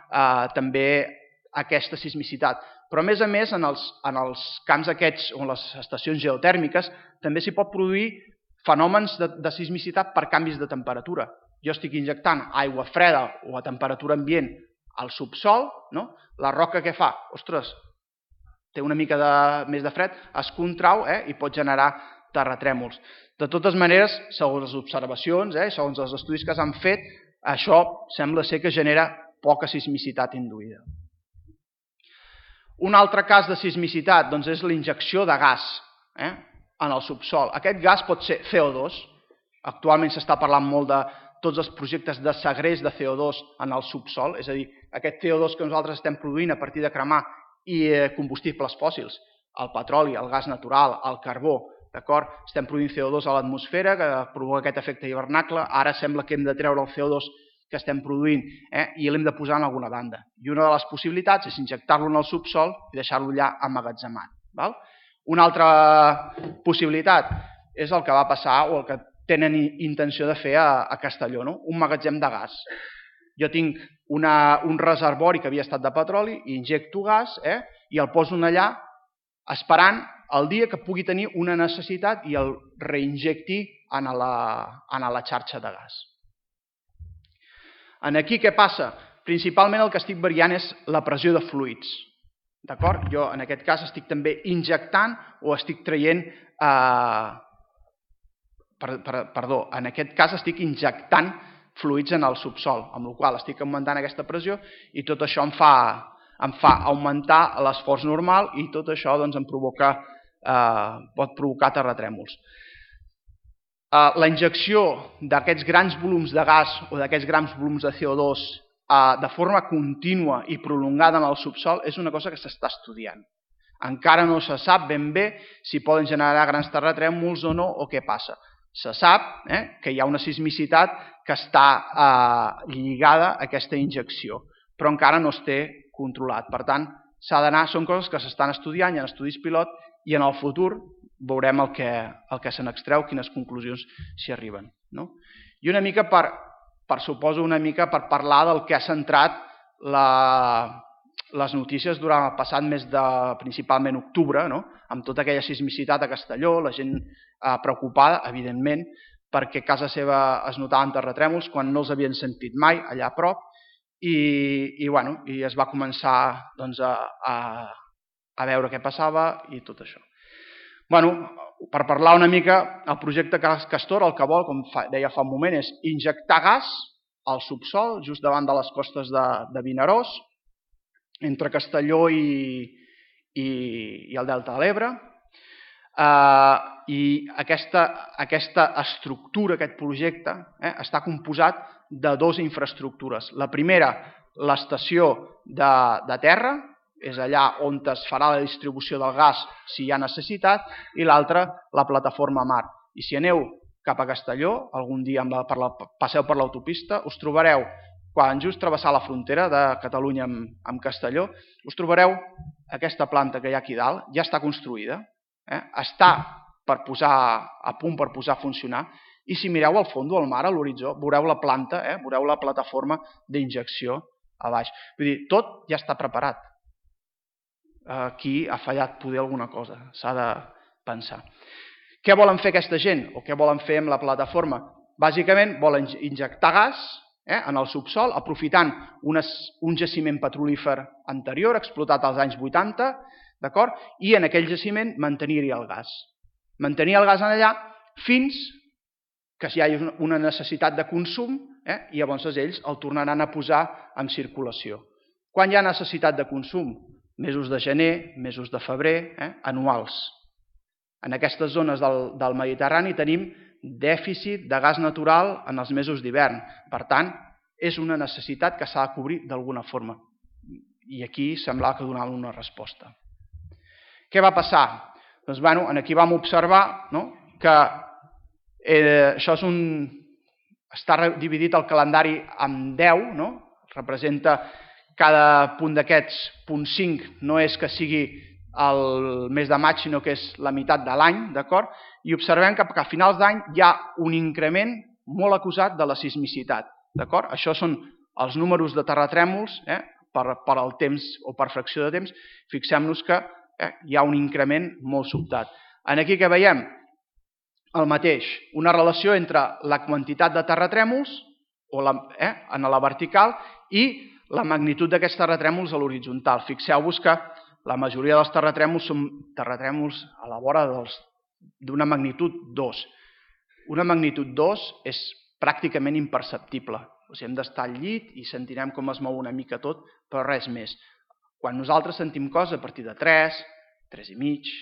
també aquesta sismicitat. Però a més, en els camps aquests o en les estacions geotèrmiques també s'hi pot produir fenòmens de sismicitat per canvis de temperatura. Jo estic injectant aigua freda o a temperatura ambient al subsòl, la roca què fa? Ostres, té una mica més de fred, es contrau i pot generar terratrèmols. De totes maneres, segons les observacions, segons els estudis que s'han fet, això sembla ser que genera poca sismicitat induïda. Un altre cas de sismicitat és la injecció de gas en el subsòl. Aquest gas pot ser CO2. Actualment s'està parlant molt de tots els projectes de segrest de CO2 en el subsòl, és a dir, aquest CO2 que nosaltres estem produint a partir de cremar combustibles fòssils, el petroli, el gas natural, el carbó, estem produint CO2 a l'atmosfera que provoca aquest efecte hivernacle, ara sembla que hem de treure el CO2 que estem produint i l'hem de posar en alguna banda. I una de les possibilitats és injectar-lo en el subsòl i deixar-lo allà emmagatzemat. Una altra possibilitat és el que va passar o el que tenen intenció de fer a Castelló, un magatzem de gas. Jo tinc un reservori que havia estat de petroli, injecto gas i el poso allà esperant el dia que pugui tenir una necessitat i el reinjecti en la xarxa de gas. Aquí què passa? Principalment el que estic variant és la pressió de fluids. Jo en aquest cas estic també injectant o estic traient, en aquest cas estic injectant fluids en el subsòl, amb la qual cosa estic augmentant aquesta pressió i tot això em fa augmentar l'esforç normal i tot això pot provocar terratrèmols. La injecció d'aquests grans volums de gas o d'aquests grans volums de CO2 de forma contínua i prolongada en el subsòl és una cosa que s'està estudiant. Encara no se sap ben bé si poden generar grans terratrèmols o no o què passa. Se sap que hi ha una sismicitat que està lligada a aquesta injecció, però encara no es té controlat. Per tant, són coses que s'estan estudiant, hi ha estudis pilot i en el futur veurem el que se n'extreu, quines conclusions s'hi arriben. I una mica per parlar del que ha centrat les notícies durant el passat mes de principalment octubre, amb tota aquella sismicitat a Castelló, la gent preocupada, evidentment, perquè a casa seva es notaven terratrèmols quan no els havien sentit mai allà a prop i es va començar a veure què passava i tot això. Per parlar una mica, el projecte Castor el que vol, com deia fa un moment, és injectar gas al subsòl, just davant de les costes de Vinaròs, entre Castelló i el Delta de l'Ebre. I aquesta estructura, aquest projecte, està composat de dues infraestructures. La primera, l'estació de terra, és allà on es farà la distribució del gas si hi ha necessitat, i l'altra, la plataforma mar. I si aneu cap a Castelló, algun dia passeu per l'autopista, us trobareu, quan just travessar la frontera de Catalunya amb Castelló, us trobareu aquesta planta que hi ha aquí dalt, ja està construïda, està a punt per posar a funcionar, i si mireu al fons del mar, a l'horitzó, veureu la planta, veureu la plataforma d'injecció a baix. Vull dir, tot ja està preparat. Aquí ha fallat poder alguna cosa, s'ha de pensar. Què volen fer aquesta gent o què volen fer amb la plataforma? Bàsicament volen injectar gas en el subsòl, aprofitant un jaciment petrolífer anterior, explotat als anys 80, i en aquell jaciment mantenir-hi el gas. Mantenir el gas allà fins que hi hagi una necessitat de consum i llavors ells el tornaran a posar en circulació. Quan hi ha necessitat de consum? Mesos de gener, mesos de febrer, anuals. En aquestes zones del Mediterrani tenim dèficit de gas natural en els mesos d'hivern. Per tant, és una necessitat que s'ha de cobrir d'alguna forma. I aquí semblava que donava una resposta. Què va passar? Doncs aquí vam observar que això està dividit el calendari en 10, representa cada punt d'aquests, punt 5, no és que sigui el mes de maig, sinó que és la meitat de l'any, i observem que a finals d'any hi ha un increment molt acusat de la sismicitat. Això són els números de terratrèmols per al temps o per fracció de temps. Fixem-nos que hi ha un increment molt sobtat. Aquí què veiem? El mateix, una relació entre la quantitat de terratrèmols en la vertical i la magnitud d'aquests terratrèmols a l'horitzontal. Fixeu-vos que la majoria dels terratrèmols són terratrèmols a la vora d'una magnitud 2. Una magnitud 2 és pràcticament imperceptible. Hem d'estar al llit i sentirem com es mou una mica tot, però res més. Quan nosaltres sentim coses a partir de 3, 3,5,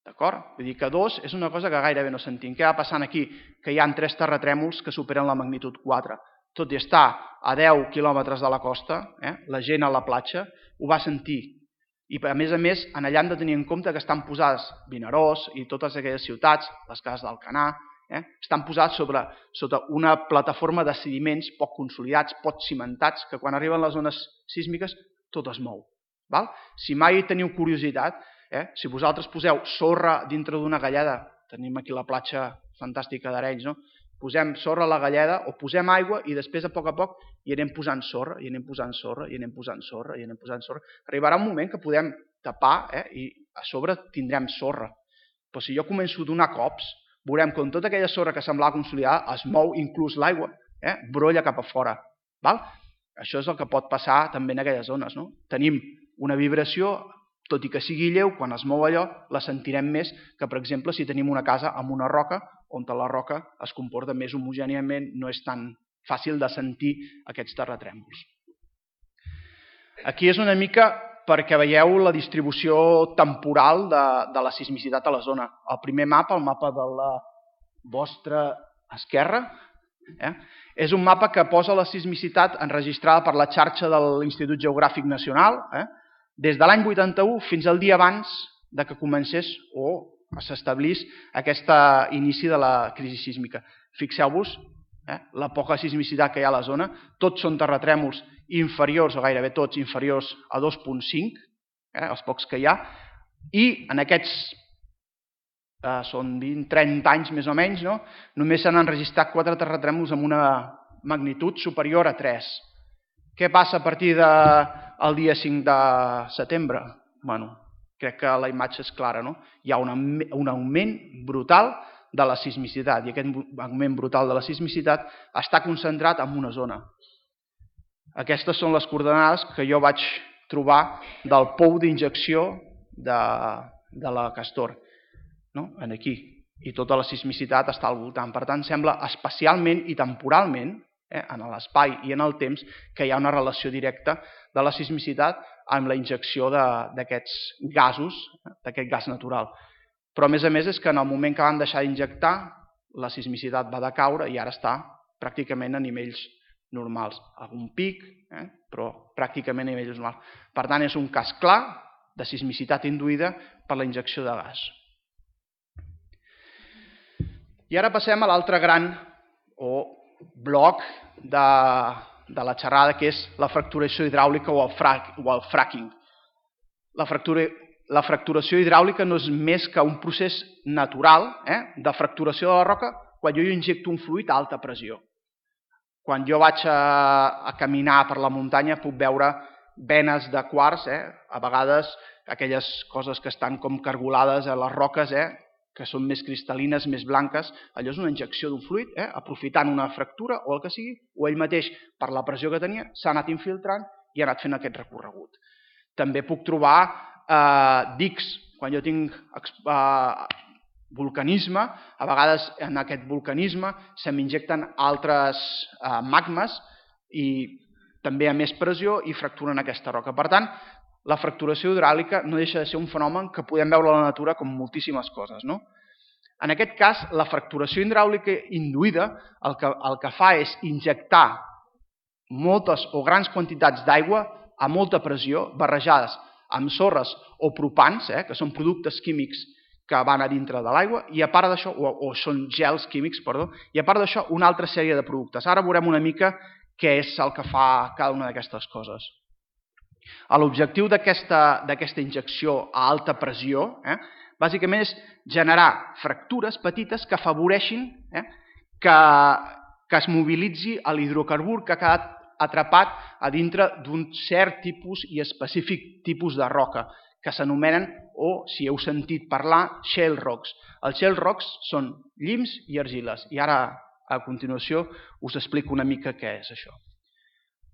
d'acord? Vull dir que 2 és una cosa que gairebé no sentim. Què va passant aquí? Que hi ha 3 terratrèmols que superen la magnitud 4. Tot i estar a 10 quilòmetres de la costa, la gent a la platja ho va sentir. I a més, allà hem de tenir en compte que estan posades Vinaròs i totes aquelles ciutats, les cases d'Alcanar, estan posades sota una plataforma de sediments poc consolidats, poc cimentats, que quan arriben les zones sísmiques tot es mou. Si mai teniu curiositat, si vosaltres poseu sorra dintre d'una galleda, tenim aquí la platja fantàstica d'Arenys, posem sorra a la galleda o posem aigua i després a poc hi anem posant sorra, i anem posant sorra, i anem posant sorra, i anem posant sorra. Arribarà un moment que podem tapar i a sobre tindrem sorra. Però si jo començo a donar cops, veurem com tota aquella sorra que semblava consolidada es mou, inclús l'aigua, brolla cap a fora. Això és el que pot passar també en aquelles zones. Tenim una vibració, tot i que sigui lleu, quan es mou allò, la sentirem més que, per exemple, si tenim una casa amb una roca, on la roca es comporta més homogèniament, no és tan fàcil de sentir aquests terratrèmols. Aquí és una mica perquè veieu la distribució temporal de la sismicitat a la zona. El primer mapa, el mapa de la vostra esquerra, és un mapa que posa la sismicitat enregistrada per la xarxa de l'Institut Geogràfic Nacional, des de l'any 81 fins al dia abans que comencés o s'establís aquest inici de la crisi sísmica. Fixeu-vos la poca sismicitat que hi ha a la zona. Tots són terratrèmols inferiors, o gairebé tots inferiors a 2,5, els pocs que hi ha, i en aquests són 20-30 anys més o menys, només s'han enregistrat 4 terratrèmols amb una magnitud superior a 3. Què passa a partir del dia 5 de setembre? Crec que la imatge és clara. Hi ha un augment brutal de la sismicitat i aquest augment brutal de la sismicitat està concentrat en una zona. Aquestes són les coordenades que jo vaig trobar del pou d'injecció de la Castor. Aquí. I tota la sismicitat està al voltant. Per tant, sembla espacialment i temporalment, en l'espai i en el temps, que hi ha una relació directa de la sismicitat amb la injecció d'aquests gasos, d'aquest gas natural. Però, a més, és que en el moment que van deixar d'injectar, la sismicitat va decaure i ara està pràcticament a nivells normals. Algun pic, però pràcticament a nivells normals. Per tant, és un cas clar de sismicitat induïda per la injecció de gas. I ara passem a l'altre gran bloc de la xerrada, que és la fracturació hidràulica o el fracking. La fracturació hidràulica no és més que un procés natural de fracturació de la roca quan jo injecto un fluid a alta pressió. Quan jo vaig a caminar per la muntanya puc veure venes de quars, a vegades aquelles coses que estan com cargolades a les roques, que són més cristal·lines, més blanques, allò és una injecció d'un fluid, aprofitant una fractura o el que sigui, o ell mateix, per la pressió que tenia, s'ha anat infiltrant i ha anat fent aquest recorregut. També puc trobar dics, quan jo tinc vulcanisme, a vegades en aquest vulcanisme se m'injecten altres magmes i també a més pressió i fracturen aquesta roca. Per tant, la fracturació hidràulica no deixa de ser un fenomen que podem veure a la natura com moltíssimes coses. En aquest cas, la fracturació hidràulica induïda el que fa és injectar moltes o grans quantitats d'aigua a molta pressió barrejades amb sorres o propans, que són productes químics que van a dintre de l'aigua, i a part d'això, o són gels químics, perdó, i a part d'això una altra sèrie de productes. Ara veurem una mica què és el que fa cada una d'aquestes coses. L'objectiu d'aquesta injecció a alta pressió bàsicament és generar fractures petites que afavoreixin que es mobilitzi l'hidrocarbur que ha quedat atrapat a dintre d'un cert tipus i específic tipus de roca, que s'anomenen, o si heu sentit parlar, shale rocks. Els shale rocks són llims i argiles, i ara a continuació us explico una mica què és això.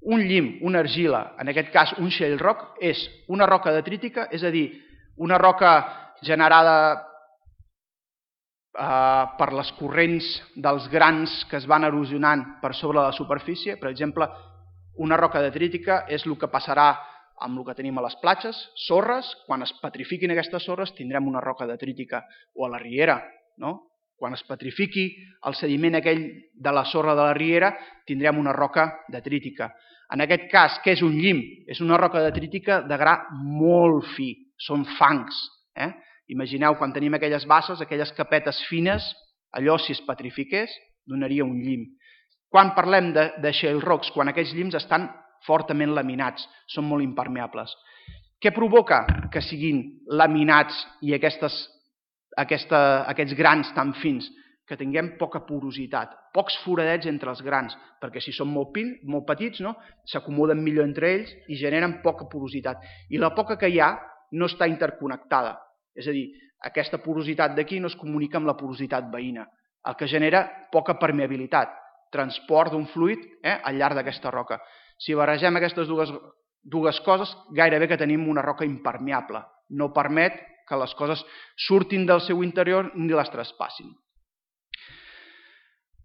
Un llim, una argila, en aquest cas un shale rock, és una roca detrítica, és a dir, una roca generada per les corrents dels grans que es van erosionant per sobre la superfície. Per exemple, una roca detrítica és el que passarà amb el que tenim a les platges, sorres. Quan es petrifiquin aquestes sorres tindrem una roca detrítica, o a la riera. Quan es petrifiqui el sediment aquell de la sorra de la riera tindrem una roca detrítica. En aquest cas, què és un llim? És una roca detrítica de gra molt fi, són fangs. Imagineu quan tenim aquelles basses, aquelles capetes fines, allò si es petrifiqués donaria un llim. Quan parlem de shale rocks, quan aquests llims estan fortament laminats, són molt impermeables. Què provoca que siguin laminats i aquests grans tan fins? Que tinguem poca porositat, pocs foradets entre els grans, perquè si són molt petits s'acomoden millor entre ells i generen poca porositat. I la poca que hi ha no està interconnectada, és a dir, aquesta porositat d'aquí no es comunica amb la porositat veïna, el que genera poca permeabilitat, transport d'un fluid al llarg d'aquesta roca. Si barregem aquestes dues coses, gairebé que tenim una roca impermeable, no permet que les coses surtin del seu interior ni les traspassin.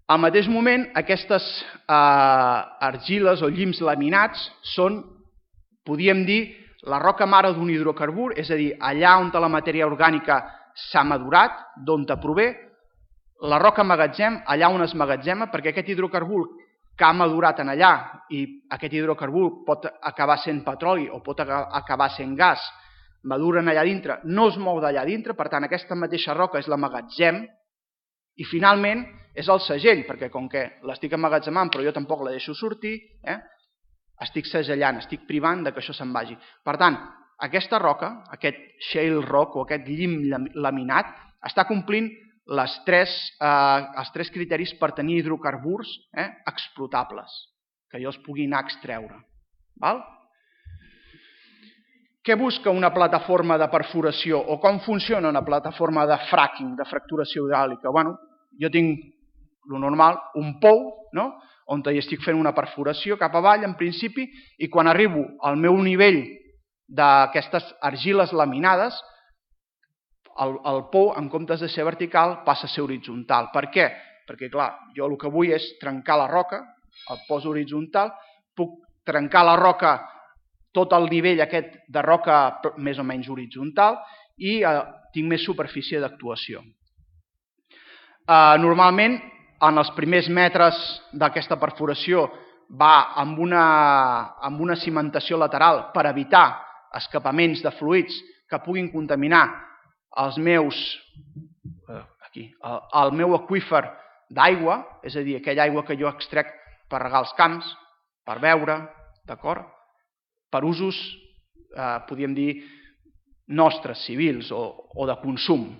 Al mateix moment, aquestes argiles o llims laminats són, podríem dir, la roca mare d'un hidrocarbur, és a dir, allà on la matèria orgànica s'ha madurat, d'on prové, la roca magatzem, allà on es magatzema, perquè aquest hidrocarbur que ha madurat en allà, i aquest hidrocarbur pot acabar sent petroli o pot acabar sent gas, maduren allà dintre, no es mou d'allà dintre, per tant aquesta mateixa roca és la magatzem, i finalment és el segell, perquè com que l'estic emmagatzemant però jo tampoc la deixo sortir, estic segellant, estic privant que això se'n vagi. Per tant, aquesta roca, aquest shale rock o aquest llim laminat, està complint els tres criteris per tenir hidrocarburs explotables, que jo els pugui anar a extreure. Què busca una plataforma de perforació o com funciona una plataforma de fracking, de fracturació hidràulica? Jo tinc, el normal, un pou on hi estic fent una perforació cap avall, en principi, i quan arribo al meu nivell d'aquestes argiles laminades, el pou, en comptes de ser vertical, passa a ser horitzontal. Per què? Perquè, clar, jo el que vull és trencar la roca, el poso horitzontal, puc trencar la roca, tot el nivell aquest de roca més o menys horitzontal, i tinc més superfície d'actuació. Normalment, en els primers metres d'aquesta perforació va amb una cimentació lateral per evitar escapaments de fluids que puguin contaminar el meu aqüífer d'aigua, és a dir, aquella aigua que jo extrec per regar els camps, per beure, d'acord? Per usos, podríem dir, nostres, civils o de consum.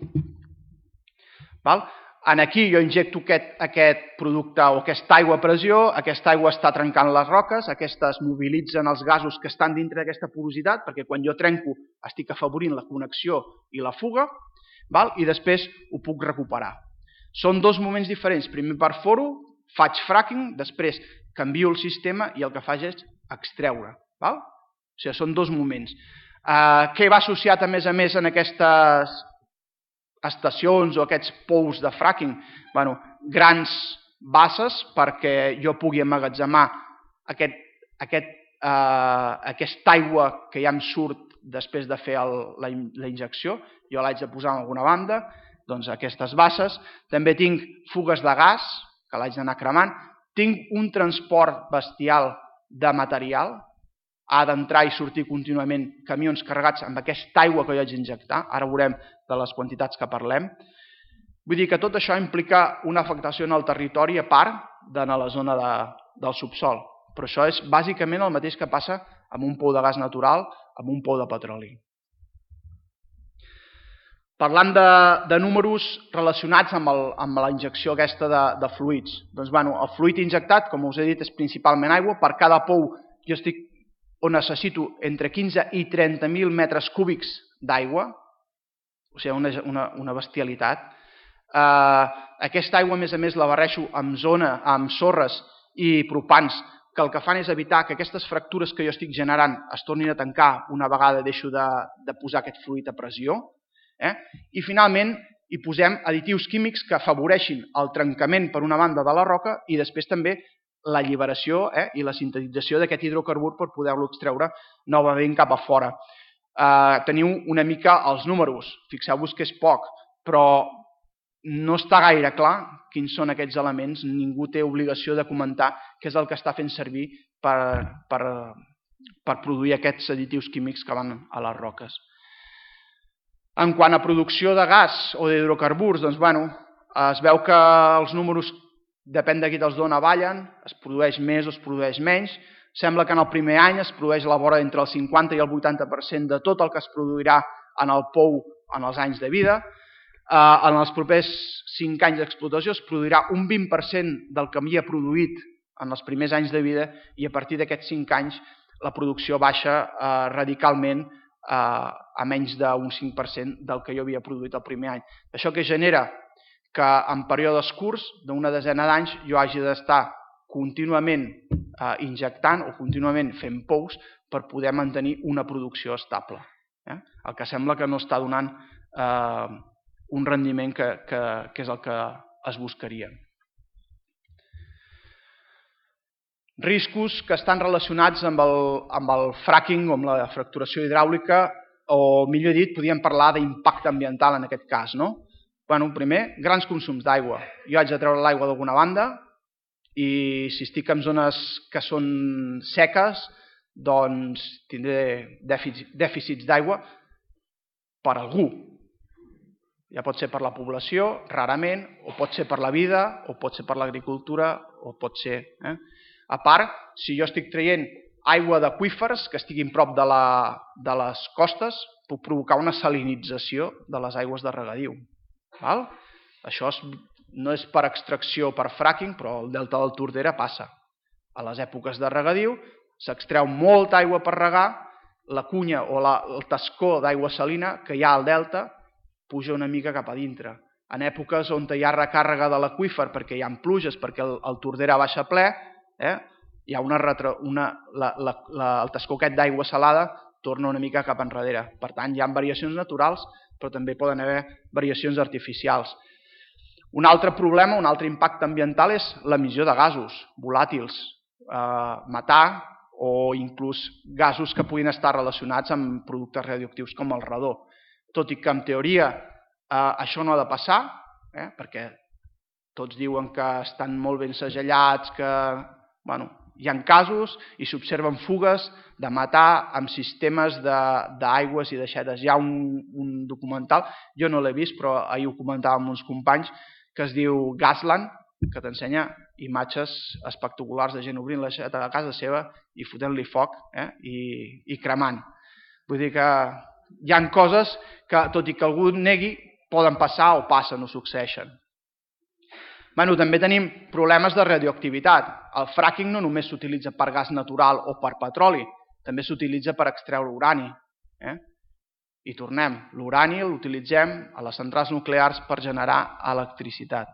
Aquí jo injecto aquest producte o aquesta aigua a pressió, aquesta aigua està trencant les roques, aquestes mobilitzen els gasos que estan dintre d'aquesta porositat, perquè quan jo trenco estic afavorint la connexió i la fuga, i després ho puc recuperar. Són dos moments diferents. Primer perforo, faig fracking, després canvio el sistema i el que faig és extreure. O sigui, són dos moments. Què va associat a més en aquestes estacions o aquests pous de fracking? Grans basses perquè jo pugui emmagatzemar aquesta aigua que ja em surt després de fer la injecció. Jo l'haig de posar en alguna banda, doncs aquestes basses. També tinc fugues de gas, que l'haig d'anar cremant. Tinc un transport bestial de material. Ha d'entrar i sortir contínuament camions carregats amb aquesta aigua que jo haig d'injectar. Ara veurem de les quantitats que parlem. Vull dir que tot això implica una afectació en el territori a part de la zona del subsol. Però això és bàsicament el mateix que passa amb un pou de gas natural, amb un pou de petroli. Parlant de números relacionats amb la injecció aquesta de fluids. Doncs, el fluid injectat, com us he dit, és principalment aigua. Per cada pou jo estic on necessito entre 15 i 30.000 metres cúbics d'aigua, o sigui, una bestialitat. Aquesta aigua, a més, la barreixo amb sorres i propans, que el que fan és evitar que aquestes fractures que jo estic generant es tornin a tancar una vegada deixo de posar aquest fluid a pressió. I finalment hi posem additius químics que afavoreixin el trencament per una banda de la roca i després també l'alliberació i la sintetització d'aquest hidrocarbur per poder-lo extreure novament cap a fora. Teniu una mica els números, fixeu-vos que és poc, però no està gaire clar quins són aquests elements, ningú té obligació de comentar què és el que està fent servir per produir aquests additius químics que van a les roques. En quant a producció de gas o d'hidrocarburs, doncs, es veu que els números, depèn de qui te'ls dona, ballen, es produeix més o es produeix menys. Sembla que en el primer any es produeix a la vora entre el 50 i el 80% de tot el que es produirà en el pou en els anys de vida. En els propers 5 anys d'explotació es produirà un 20% del que havia produït en els primers anys de vida i a partir d'aquests 5 anys la producció baixa radicalment a menys d'un 5% del que jo havia produït el primer any. Això que genera que en períodes curts, d'una desena d'anys, jo hagi d'estar contínuament injectant o contínuament fent pous per poder mantenir una producció estable. El que sembla que no està donant un rendiment que és el que es buscaria. Riscos que estan relacionats amb el fracking o amb la fracturació hidràulica, o millor dit, podríem parlar d'impacte ambiental en aquest cas. Primer, grans consums d'aigua. Jo haig de treure l'aigua d'alguna banda i si estic en zones que són seques, doncs tindré dèficits d'aigua per algú. Ja pot ser per la població, rarament, o pot ser per la vida, o pot ser per l'agricultura, o pot ser... A part, si jo estic traient aigua d'aqüífers que estiguin prop de les costes, puc provocar una salinització de les aigües de regadiu. Això no és per extracció per fracking, però el delta del Tordera passa. A les èpoques de regadiu s'extreu molta aigua per regar, la cunya o el tascó d'aigua salina que hi ha al delta puja una mica cap a dintre. En èpoques on hi ha recàrrega de l'aqüífer perquè hi ha pluges, perquè el Tordera baixa ple, hi ha el tascó aquest d'aigua salada torna una mica cap enrere. Per tant, hi ha variacions naturals, però també poden haver variacions artificials. Un altre problema, un altre impacte ambiental és l'emissió de gasos volàtils, metà o inclús gasos que puguin estar relacionats amb productes radioactius com el radó. Tot i que en teoria això no ha de passar, perquè tots diuen que estan molt ben segellats, que Hi ha casos i s'observen fugues de matar amb sistemes d'aigües i d'aixetes. Hi ha un documental, jo no l'he vist, però ahir ho comentava amb uns companys, que es diu Gasland, que t'ensenya imatges espectaculars de gent obrint l'aixeta a casa seva i fotent-li foc i cremant. Vull dir que hi ha coses que, tot i que algú negui, poden passar o passen o succeeixen. També tenim problemes de radioactivitat. El fracking no només s'utilitza per gas natural o per petroli, també s'utilitza per extreure urani. I tornem, l'urani l'utilitzem a les centrals nuclears per generar electricitat.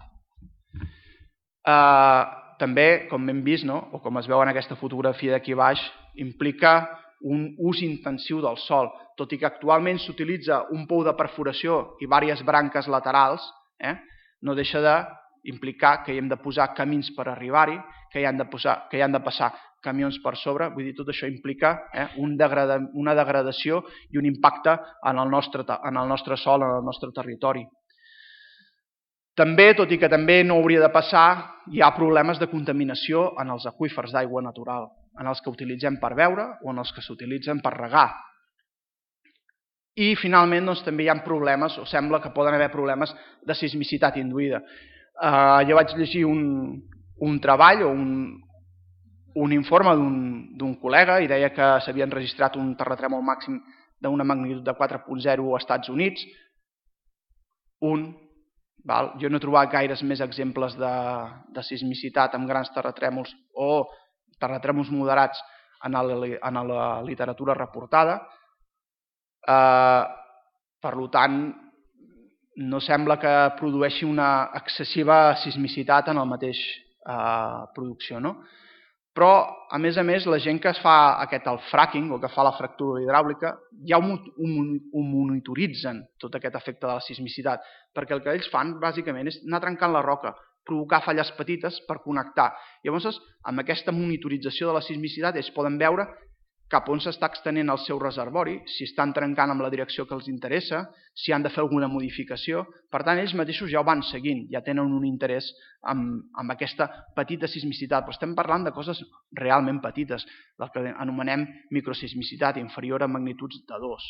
També, com hem vist, o com es veu en aquesta fotografia d'aquí baix, implica un ús intensiu del sòl. Tot i que actualment s'utilitza un pou de perforació i diverses branques laterals, no deixa d'implicar que hi hem de posar camins per arribar-hi, que hi han de passar camions per sobre. Vull dir, tot això implica una degradació i un impacte en el nostre sòl, en el nostre territori. També, tot i que també no hauria de passar, hi ha problemes de contaminació en els aqüífers d'aigua natural, en els que utilitzem per beure o en els que s'utilitzen per regar. I finalment també hi ha problemes, o sembla que poden haver problemes de sismicitat induïda. Jo vaig llegir un treball o un informe d'un col·lega i deia que s'havien registrat un terratrèmol màxim d'una magnitud de 4.0 als Estats Units. Jo no he trobat gaires més exemples de sismicitat amb grans terratrèmols o terratrèmols moderats en la literatura reportada. Per tant, no sembla que produeixi una excessiva sismicitat en la mateixa producció. Però, a més, la gent que fa el fracking o que fa la fractura hidràulica ja ho monitoritzen, tot aquest efecte de la sismicitat, perquè el que ells fan, bàsicament, és anar trencant la roca, provocar falles petites per connectar. Llavors, amb aquesta monitorització de la sismicitat, ells poden veure cap on s'està extenent el seu reservori, si estan trencant amb la direcció que els interessa, si han de fer alguna modificació. Per tant, ells mateixos ja ho van seguint, ja tenen un interès en aquesta petita sismicitat, però estem parlant de coses realment petites, del que anomenem microsismicitat, inferior a magnituds de 2.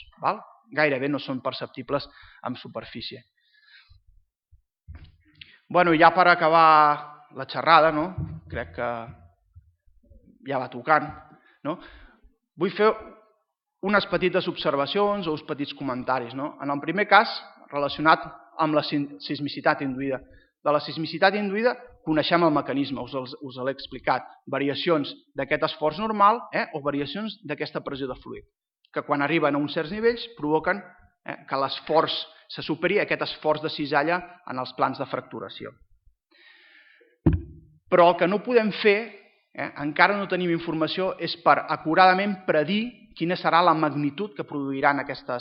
Gairebé no són perceptibles en superfície. Ja per acabar la xerrada, crec que ja va tocant, vull fer unes petites observacions o uns petits comentaris. En el primer cas, relacionat amb la sismicitat induïda. De la sismicitat induïda coneixem el mecanisme, us l'he explicat. Variacions d'aquest esforç normal o variacions d'aquesta pressió de fluid, que quan arriben a uns certs nivells provoquen que l'esforç se superi aquest esforç de cisalla en els plans de fracturació. Però el que no podem fer, encara no tenim informació, és per acuradament predir quina serà la magnitud que produiran aquesta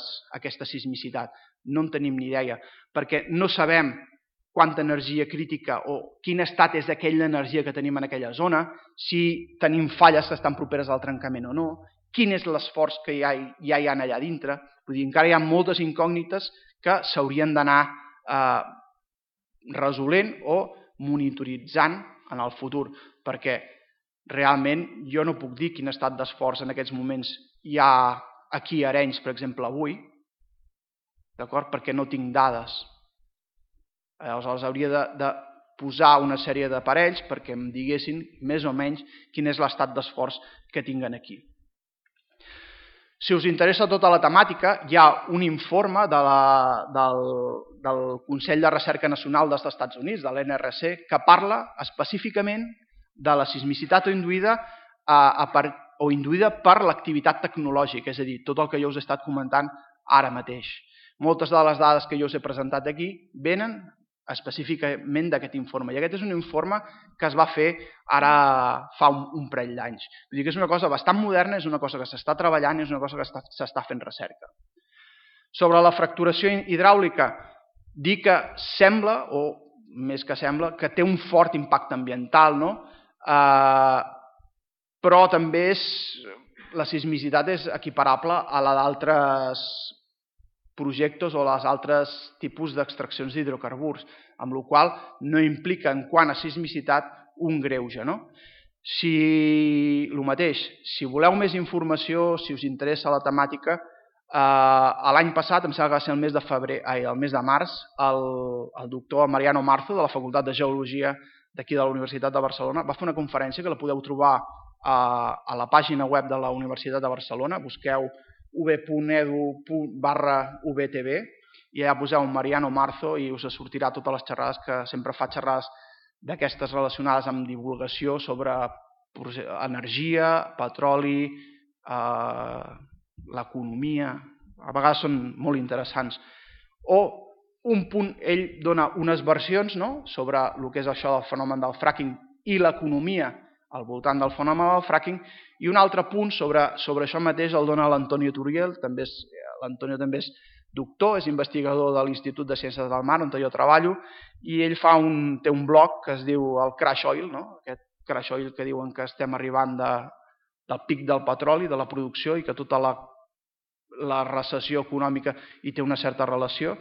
sismicitat. No en tenim ni idea, perquè no sabem quanta energia crítica o quin estat és aquella energia que tenim en aquella zona, si tenim falles que estan properes al trencament o no, quin és l'esforç que ja hi ha allà dintre. Vull dir, encara hi ha moltes incògnites que s'haurien d'anar resolent o monitoritzant en el futur, perquè realment jo no puc dir quin estat d'esforç en aquests moments hi ha aquí a Arenys, per exemple, avui, perquè no tinc dades. Aleshores hauria de posar una sèrie d'aparells perquè em diguessin més o menys quin és l'estat d'esforç que tinguen aquí. Si us interessa tota la temàtica, hi ha un informe del Consell de Recerca Nacional dels Estats Units, de l'NRC, que parla específicament de la sismicitat induïda per l'activitat tecnològica, és a dir, tot el que jo us he estat comentant ara mateix. Moltes de les dades que jo us he presentat aquí venen específicament d'aquest informe. I aquest és un informe que es va fer ara fa un parell d'anys. Vull dir que és una cosa bastant moderna, és una cosa que s'està treballant i és una cosa que s'està fent recerca. Sobre la fracturació hidràulica, dir que sembla, o més que sembla, que té un fort impacte ambiental, però també la sismicitat és equiparable a la d'altres projectes o als altres tipus d'extraccions d'hidrocarburs, amb la qual cosa no implica en quant a sismicitat un greuge. El mateix, si voleu més informació, si us interessa la temàtica, l'any passat, em sembla que va ser el mes de març, el doctor Mariano Marzo, de la Facultat de Geologia d'aquí de la Universitat de Barcelona, va fer una conferència que la podeu trobar a la pàgina web de la Universitat de Barcelona. Busqueu ub.edu/ubtb i allà poseu Mariano Marzo i us sortirà totes les xerrades, que sempre fa xerrades d'aquestes relacionades amb divulgació sobre energia, petroli, l'economia. A vegades són molt interessants. O un punt, ell dona unes versions sobre el que és això del fenomen del fracking i l'economia al voltant del fenomen del fracking, i un altre punt sobre això mateix el dona l'Antonio Turiel. L'Antonio també és doctor, és investigador de l'Institut de Ciències del Mar, on jo treballo, i ell té un blog que es diu el Crash Oil, aquest Crash Oil que diuen que estem arribant del pic del petroli, de la producció, i que tota la recessió econòmica hi té una certa relació.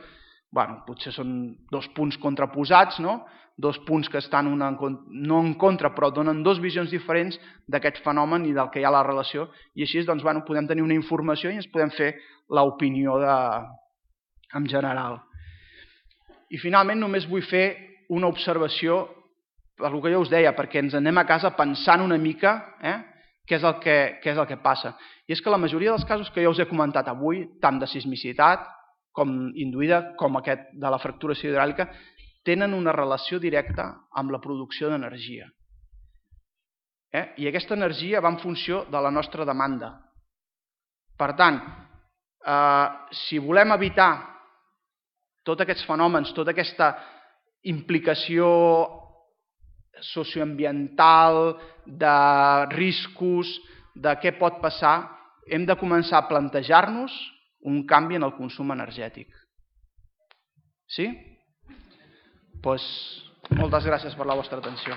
Potser són dos punts contraposats, dos punts que estan no en contra, però donen dues visions diferents d'aquest fenomen i del que hi ha a la relació, i així podem tenir una informació i ens podem fer l'opinió en general. I finalment només vull fer una observació per el que jo us deia, perquè ens anem a casa pensant una mica què és el que passa. I és que la majoria dels casos que jo us he comentat avui, tant de sismicitat com induïda, com aquest de la fracturació hidràulica, tenen una relació directa amb la producció d'energia. I aquesta energia va en funció de la nostra demanda. Per tant, si volem evitar tots aquests fenòmens, tota aquesta implicació socioambiental, de riscos, de què pot passar, hem de començar a plantejar-nos un canvi en el consum energètic. Sí? Doncs moltes gràcies per la vostra atenció.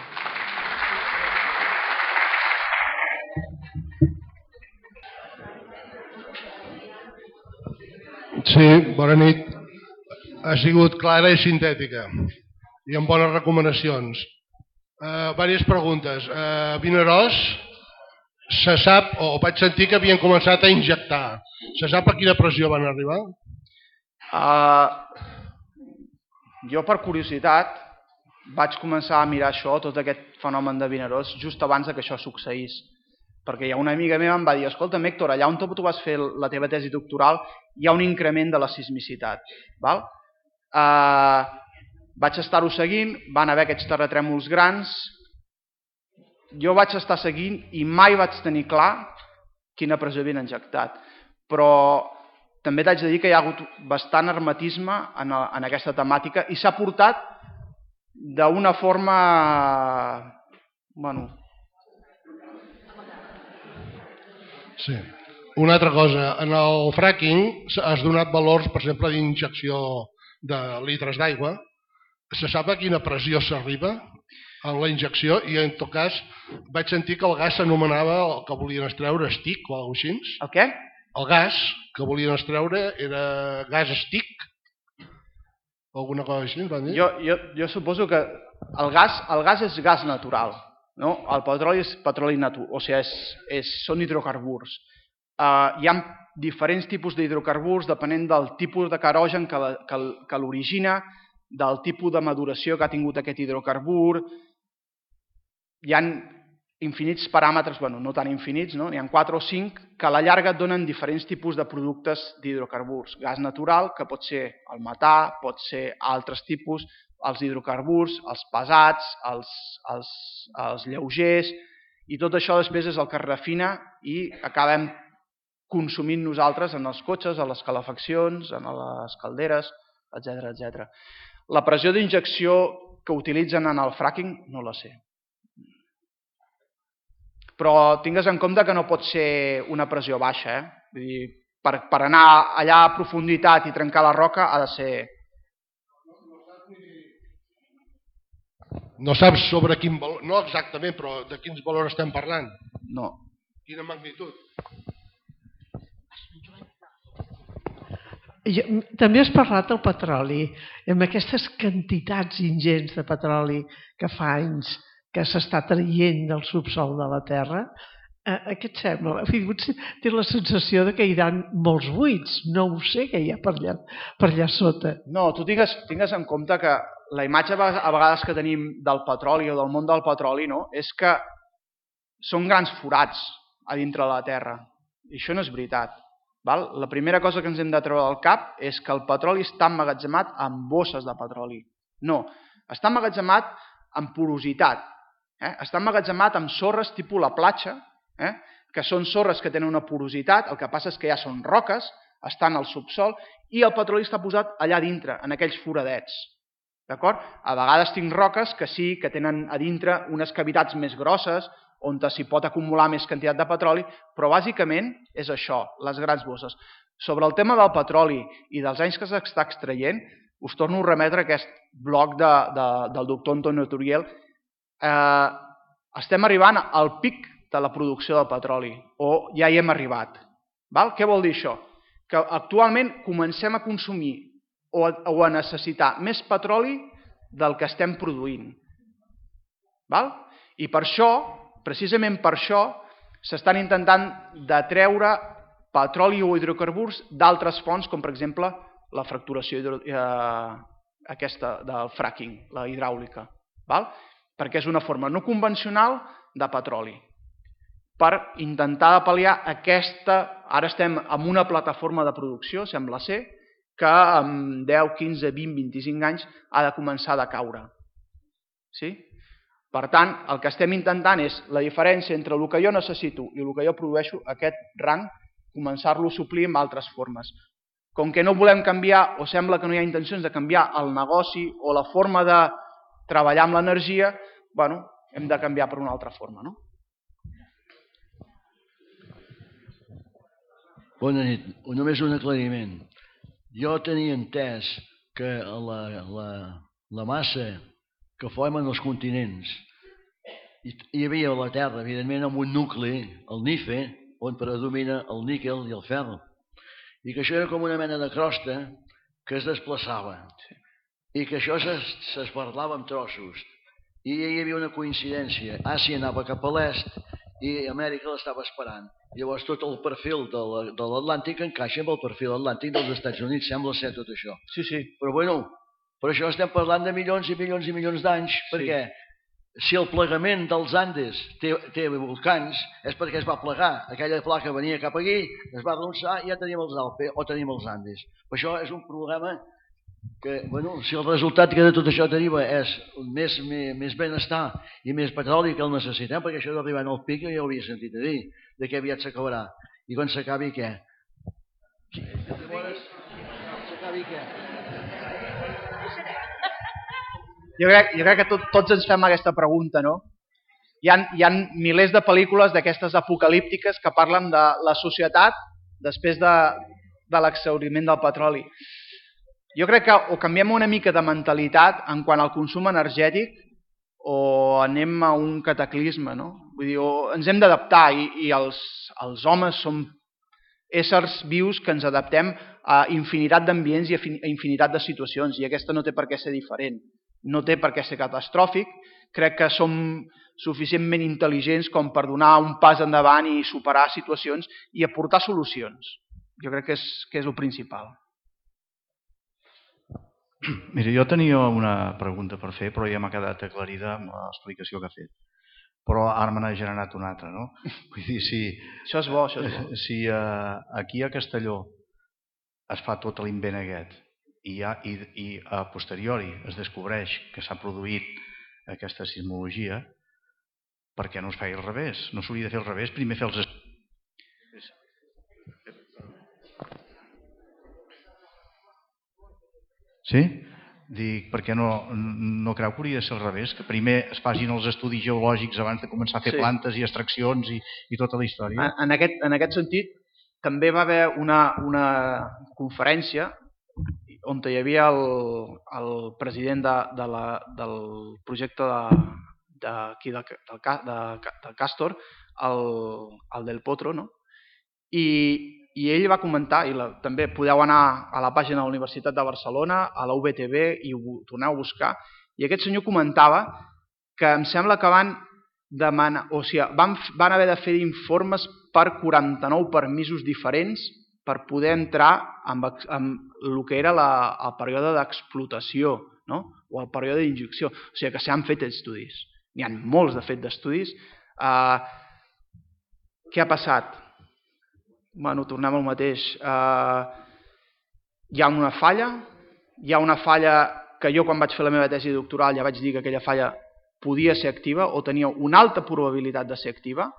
Sí, bona nit. Ha sigut clara i sintètica i amb bones recomanacions. Diverses preguntes. A Vinaròs se sap, o vaig sentir que havien començat a injectar. Se sap a quina pressió van arribar? Jo, per curiositat, vaig començar a mirar això, tot aquest fenomen de Vinaròs, just abans que això succeís. Perquè hi ha una amiga meva em va dir: escolta, Héctor, allà on tu vas fer la teva tesi doctoral hi ha un increment de la sismicitat. Vaig estar-ho seguint, van haver aquests terratrèmols grans, jo vaig estar seguint i mai vaig tenir clar quina pressió havien injectat. Però també t'haig de dir que hi ha hagut bastant hermetisme en aquesta temàtica i s'ha portat d'una forma... Sí. Una altra cosa, en el fracking has donat valors, per exemple, d'injecció de litres d'aigua. Se sap a quina pressió s'arriba en la injecció i en tot cas vaig sentir que el gas s'anomenava, el que volien extreure, stick o alguna cosa així. El què? El gas que volien extreure era gas stick o alguna cosa així. Jo suposo que el gas és gas natural. El petroli és petroli natural, o sigui, són hidrocarburs. Hi ha diferents tipus d'hidrocarburs depenent del tipus de querogen que l'origina, del tipus de maduració que ha tingut aquest hidrocarbur. Hi ha infinits paràmetres, no tan infinits, n'hi ha 4 o 5, que a la llarga et donen diferents tipus de productes d'hidrocarburs. Gas natural, que pot ser el metà, pot ser altres tipus, els hidrocarburs, els pesats, els lleugers, i tot això després és el que es refina i acabem consumint nosaltres en els cotxes, a les calefaccions, en les calderes, etc. La pressió d'injecció que utilitzen en el fracking no la sé. Però tingues en compte que no pot ser una pressió baixa. Vull dir, per anar allà a profunditat i trencar la roca ha de ser... No saps sobre quin valor, no exactament, però de quins valors estem parlant? No. Quina magnitud? També has parlat del petroli, amb aquestes quantitats ingents de petroli que fa anys que s'està traient del subsol de la Terra, què et sembla? Té la sensació que hi ha molts buits, no ho sé què hi ha per allà sota. No, tu tingues en compte que la imatge a vegades que tenim del petroli o del món del petroli, no, és que són grans forats a dintre de la Terra. I això no és veritat. Val? La primera cosa que ens hem de treure del cap és que el petroli està emmagatzemat en bosses de petroli. No, està emmagatzemat en porositat. Està emmagatzemat amb sorres tipus la platja, que són sorres que tenen una porositat, el que passa és que ja són roques, estan al subsol, i el petroli està posat allà dintre, en aquells foradets. D'acord? A vegades tinc roques que sí, que tenen a dintre unes cavitats més grosses, on s'hi pot acumular més quantitat de petroli, però bàsicament és això, les grans bosses. Sobre el tema del petroli i dels anys que s'està extraient, us torno a remetre a aquest blog del doctor Antonio Turiel. Estem arribant al pic de la producció del petroli, o ja hi hem arribat. Què vol dir això? Que actualment comencem a consumir o a necessitar més petroli del que estem produint. I per això, precisament per això, s'estan intentant de treure petroli o hidrocarburs d'altres fonts, com per exemple la fracturació aquesta del fracking, la hidràulica, perquè és una forma no convencional de petroli. Per intentar pal·liar aquesta, ara estem en una plataforma de producció, sembla ser, que en 10, 15, 20, 25 anys ha de començar a decaure. Per tant, el que estem intentant és la diferència entre el que jo necessito i el que jo produeixo, aquest rang, començar-lo a suplir amb altres formes. Com que no volem canviar, o sembla que no hi ha intencions de canviar el negoci o la forma de treballar amb l'energia, hem de canviar per una altra forma, no? Bona nit. Només un aclariment. Jo tenia entès que la massa que formen els continents hi havia a la Terra, evidentment, amb un nucli, el NIFE, on predomina el níquel i el ferro. I que això era com una mena de crosta que es desplaçava. I que això s'esparlava en trossos. I hi havia una coincidència. Àsia anava cap a l'est i Amèrica l'estava esperant. Llavors tot el perfil de l'Atlàntic encaixa amb el perfil atlàntic dels Estats Units, sembla ser tot això. Sí. Però bueno, per això estem parlant de milions i milions i milions d'anys, perquè si el plegament dels Andes té volcans és perquè es va plegar. Aquella placa venia cap aquí, es va arronsar i ja tenim els Alpes o tenim els Andes. Per això és un problema que, bueno, si el resultat que de tot això deriva és més benestar i més petroli que el necessitem, perquè això d'arribar al pic ja ho havia sentit a dir, de que aviat s'acabarà. I quan s'acabi, què? S'acabi què? Jo crec que tots ens fem aquesta pregunta, no? Hi ha milers de pel·lícules d'aquestes apocalíptiques que parlen de la societat després de l'exhauriment del petroli. Jo crec que o canviem una mica de mentalitat en quant al consum energètic o anem a un cataclisme, no? Vull dir, ens hem d'adaptar i els homes som éssers vius que ens adaptem a infinitat d'ambients i a infinitat de situacions i aquesta no té per què ser diferent, no té per què ser catastròfic. Crec que som suficientment intel·ligents com per donar un pas endavant i superar situacions i aportar solucions. Jo crec que és el principal. Mira, jo tenia una pregunta per fer, però ja m'ha quedat aclarida amb l'explicació que ha fet. Però ara me n'ha generat una altra, no? Vull dir, Això és bo, això és bo. Si aquí a Castelló es fa tot l'invent aquest i a posteriori es descobreix que s'ha produït aquesta sismologia, per què no es feia al revés? No s'hauria de fer al revés, primer fer els estudis. Sí? Dic, perquè no creu que hauria de ser al revés, que primer es facin els estudis geològics abans de començar a fer plantes i extraccions i tota la història? En aquest sentit, també va haver una conferència on hi havia el president del projecte del Castor, el Del Potro, no? I ell va comentar, i també podeu anar a la pàgina de la Universitat de Barcelona, a la UBTV, i ho torneu a buscar, i aquest senyor comentava que em sembla que van demanar, o sigui, van haver de fer informes per 49 permisos diferents per poder entrar amb el que era el període d'explotació, no? O el període d'injecció. O sigui que s'han fet estudis. N'hi ha molts, de fet, d'estudis. Què ha passat? Bueno, tornem al mateix. Hi ha una falla que jo quan vaig fer la meva tesi doctoral ja vaig dir que aquella falla podia ser activa o tenia una alta probabilitat de ser activa,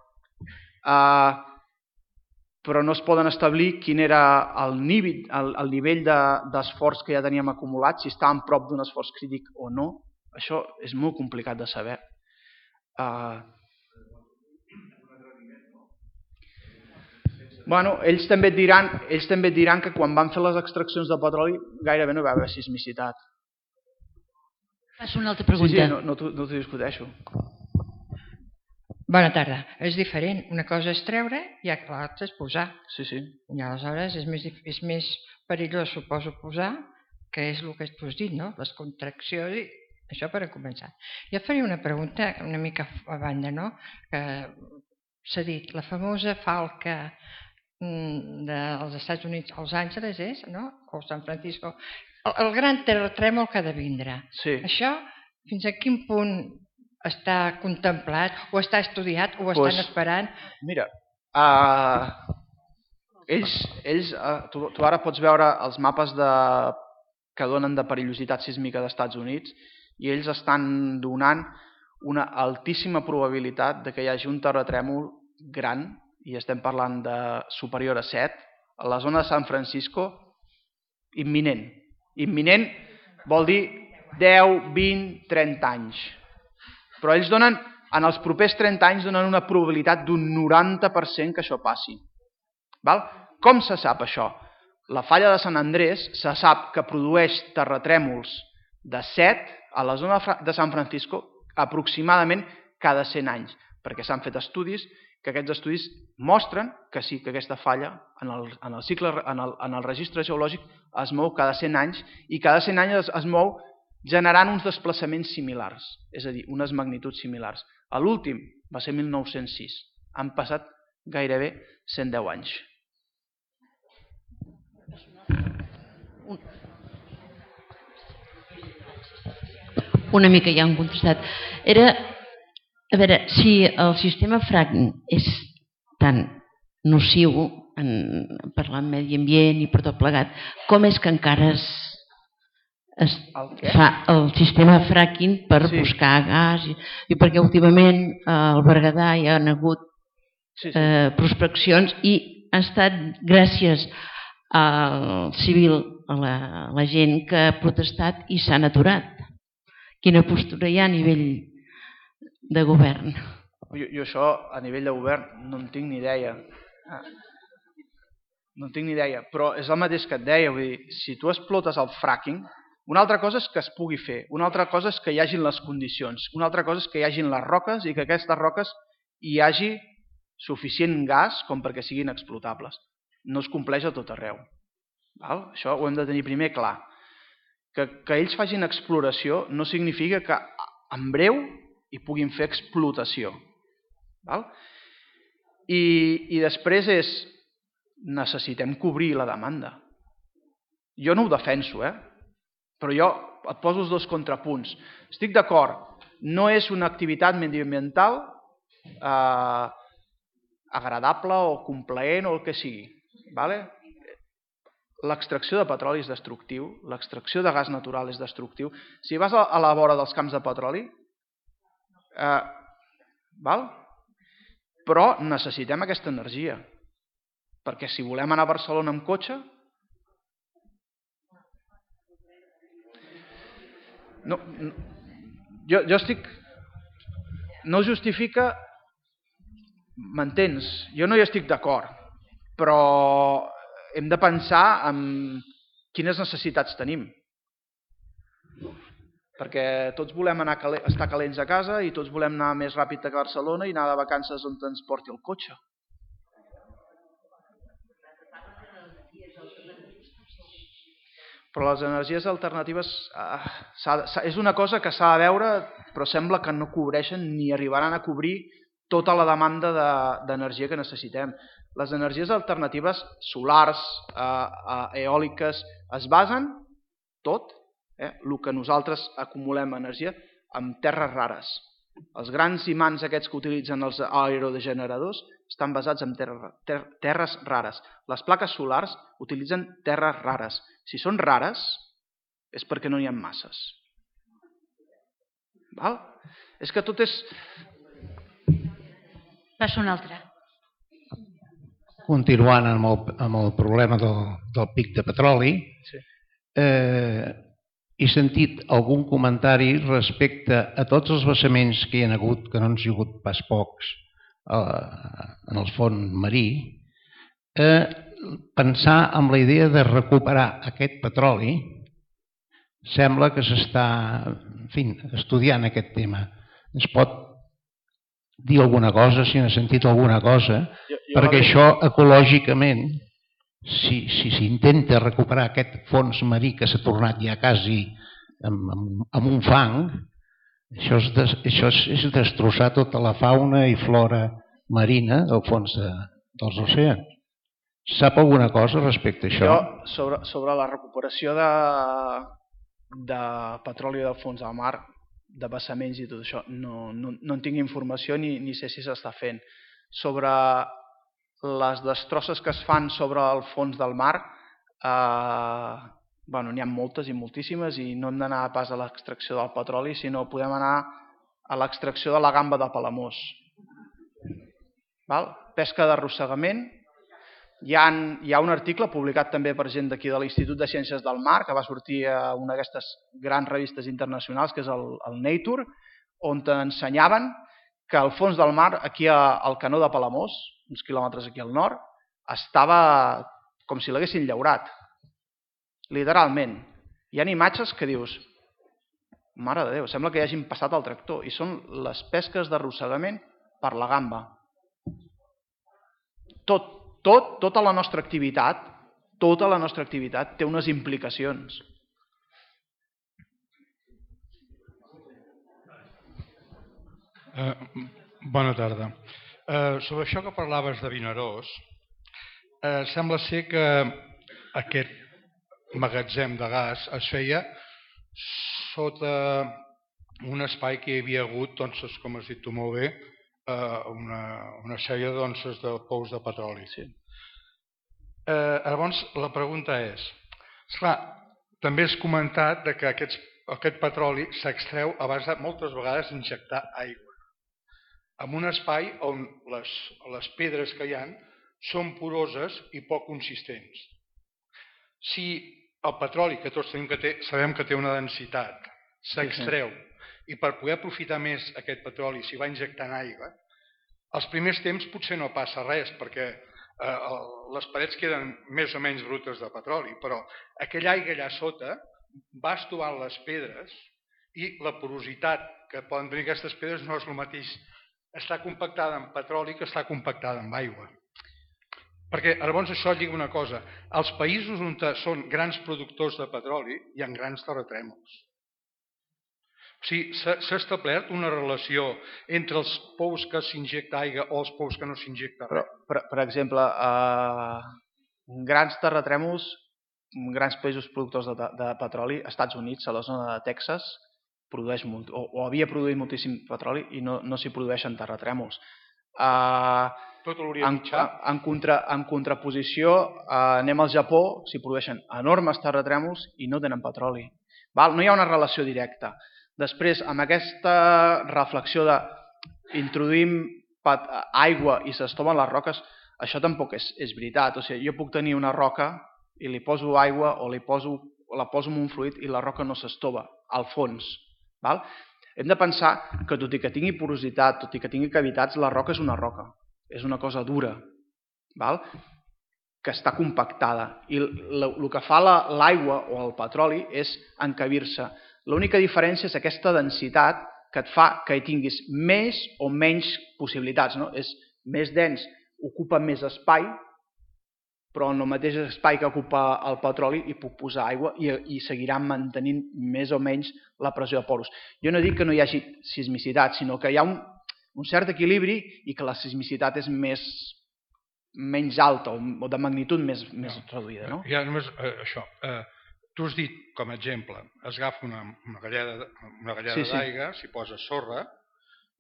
però no es poden establir quin era el nivell d'esforç que ja teníem acumulat, si estàvem prop d'un esforç crític o no. Això és molt complicat de saber. Bueno, ells també et diran que quan van fer les extraccions de petroli gairebé no hi va haver sismicitat. Faig una altra pregunta. Sí, no t'ho discuteixo. Bona tarda. És diferent. Una cosa és treure i l'altra és posar. Sí. I aleshores és més perillós, suposo, posar, que és el que tu has dit, no? Les contraccions i això per a començar. Jo faria una pregunta una mica a banda, no? Que s'ha dit, la famosa falca dels Estats Units, als Àngeles és, no? O San Francisco. El gran terratrèmol que ha de vindre. Sí. Això, fins a quin punt està contemplat, o està estudiat, o estan esperant? Mira, tu ara pots veure els mapes que donen de perillositat sísmica dels Estats Units i ells estan donant una altíssima probabilitat de que hi hagi un terratrèmol gran, i estem parlant de superior a 7, a la zona de San Francisco, imminent. Imminent vol dir 10, 20, 30 anys. Però ells donen, en els propers 30 anys, donen una probabilitat d'un 90% que això passi. Com se sap això? La falla de Sant Andrés se sap que produeix terratrèmols de 7 a la zona de San Francisco aproximadament cada 100 anys, perquè s'han fet estudis que aquests estudis mostren que sí, que aquesta falla en el registre geològic es mou cada 100 anys i cada 100 anys es mou generant uns desplaçaments similars, és a dir, unes magnituds similars. L'últim va ser 1906. Han passat gairebé 110 anys. Una mica ja han contestat. Era, a veure, si el sistema fracking és tan nociu per al medi ambient i per tot plegat, com és que encara es fa el sistema fracking per buscar gas? I perquè últimament al Berguedà hi ha hagut prospeccions i ha estat gràcies al civil, a la gent que ha protestat i s'han aturat. Quina postura hi ha a nivell de govern? Jo això, a nivell de govern, no en tinc ni idea. No en tinc ni idea, però és el mateix que et deia. Vull dir, si tu explotes el fracking, una altra cosa és que es pugui fer, una altra cosa és que hi hagin les condicions, una altra cosa és que hi hagin les roques i que aquestes roques hi hagi suficient gas com perquè siguin explotables. No es compleix a tot arreu. Això ho hem de tenir primer clar. Que ells facin exploració no significa que en breu hi puguin fer explotació. I després necessitem cobrir la demanda. Jo no ho defenso, però jo et poso els dos contrapunts. Estic d'acord, no és una activitat mediambiental agradable o complaent o el que sigui. L'extracció de petroli és destructiu, l'extracció de gas natural és destructiu. Si vas a la vora dels camps de petroli, però necessitem aquesta energia, perquè si volem anar a Barcelona amb cotxe, jo estic... No justifica... M'entens? Jo no hi estic d'acord, però hem de pensar en quines necessitats tenim. Perquè tots volem estar calents a casa i tots volem anar més ràpid a Barcelona i anar de vacances on ens porti el cotxe. Però les energies alternatives és una cosa que s'ha de veure, però sembla que no cobreixen ni arribaran a cobrir tota la demanda d'energia que necessitem. Les energies alternatives, solars, eòliques, es basen tot, el que nosaltres acumulem energia, en terres rares. Els grans imants aquests que utilitzen els aerogeneradors estan basats en terres rares. Les plaques solars utilitzen terres rares. Si són rares, és perquè no n'hi ha masses. Val? És que tot és... Passa un altre. Continuant amb el problema del pic de petroli, Sí. He sentit algun comentari respecte a tots els vessaments que hi ha hagut, que no han sigut pas pocs, en el fons marí, pensar en la idea de recuperar aquest petroli. Sembla que s'està estudiant aquest tema. Es pot dir alguna cosa, si n'ha sentit alguna cosa, perquè això ecològicament, si s'intenta recuperar aquest fons marí que s'ha tornat ja quasi amb un fang, això és destrossar tota la fauna i flora marina del fons dels oceans. Sap alguna cosa respecte a això? Jo, sobre la recuperació de petroli del fons del mar, de vessaments i tot això, no en tinc informació ni sé si s'està fent. Sobre les destrosses que es fan sobre el fons del mar, n'hi ha moltes i moltíssimes i no hem d'anar pas a l'extracció del petroli, sinó podem anar a l'extracció de la gamba de Palamós. Pesca d'arrossegament. Hi ha un article publicat també per gent d'aquí de l'Institut de Ciències del Mar, que va sortir a una d'aquestes grans revistes internacionals, que és el Nature, on ensenyaven que el fons del mar, aquí al canó de Palamós, uns quilòmetres aquí al nord, estava com si l'haguessin llaurat. Literalment. Hi ha imatges que dius, mare de Déu, sembla que hi hagin passat el tractor, i són les pesques d'arrossegament per la gamba. Tota la nostra activitat té unes implicacions. Bona tarda. Sobre això que parlaves de Vinaròs, sembla ser que aquest magatzem de gas es feia sota un espai que hi havia hagut, com has dit tu molt bé, una sèrie de pous de petroli. Llavors, la pregunta és, esclar, també has comentat que aquest petroli s'extreu a base de moltes vegades injectar aigua en un espai on les pedres que hi ha són poroses i poc consistents. Si el petroli, que tots sabem que té una densitat, s'extreu i per poder aprofitar més aquest petroli s'hi va injectant aigua, els primers temps potser no passa res perquè les parets queden més o menys brutes de petroli, però aquella aigua allà sota va estovant les pedres i la porositat que poden tenir aquestes pedres no és el mateix està compactada en petroli que està compactada en aigua. Perquè llavors això lliga una cosa, als països on són grans productors de petroli hi ha grans terratrèmols. O sigui, s'ha establert una relació entre els pous que s'injecta aigua o els pous que no s'injecta res. Per exemple, grans terratrèmols, grans països productors de petroli, Estats Units, a la zona de Texas, produeix molt, o havia produït moltíssim petroli i no s'hi produeixen terratrèmols. Tot l'Orient Mitjà. En contraposició, anem al Japó, s'hi produeixen enormes terratrèmols i no tenen petroli. No hi ha una relació directa. Després, amb aquesta reflexió d'introduïm aigua i s'estoven les roques, això tampoc és veritat. O sigui, jo puc tenir una roca i li poso aigua o la poso en un fluid i la roca no s'estova al fons. Hem de pensar que tot i que tingui porositat, tot i que tingui cavitats, la roca és una roca, és una cosa dura, que està compactada. I el que fa l'aigua o el petroli és encabir-se. L'única diferència és aquesta densitat que et fa que hi tinguis més o menys possibilitats. És més dens, ocupa més espai, però en el mateix espai que ocupa el petroli hi puc posar aigua i seguiran mantenint més o menys la pressió de poros. Jo no dic que no hi hagi sismicitat, sinó que hi ha un cert equilibri i que la sismicitat és menys alta o de magnitud més reduïda. No? Ja només això. Tu has dit, com a exemple, es agafa una galleda d'aigua, s'hi posa sorra,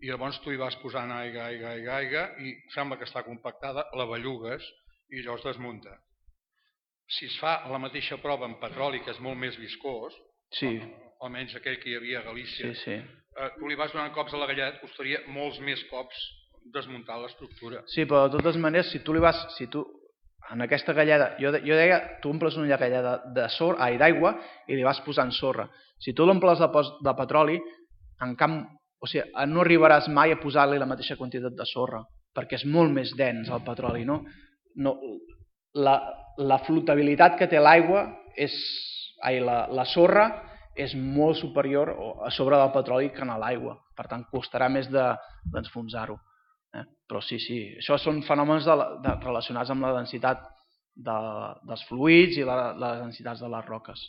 i llavors tu hi vas posant aigua i sembla que està compactada, la bellugues i llavors desmunta. Si es fa la mateixa prova amb petroli, que és molt més viscós, almenys aquell que hi havia a Galícia, tu li vas donant cops a la galleda, costaria molts més cops desmuntar l'estructura. Sí, però de totes maneres, si tu en aquesta galleda, jo deia, tu omples una galleda d'aigua i li vas posant sorra. Si tu l'omples de petroli, no arribaràs mai a posar-li la mateixa quantitat de sorra, perquè és molt més dens el petroli. La flotabilitat que té l'aigua, la sorra, és molt superior a sobre del petroli que en l'aigua. Per tant, costarà més d'enfonsar-ho. Però sí, això són fenòmens relacionats amb la densitat dels fluids i les densitats de les roques.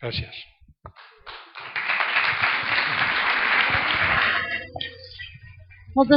Gràcies. Moltes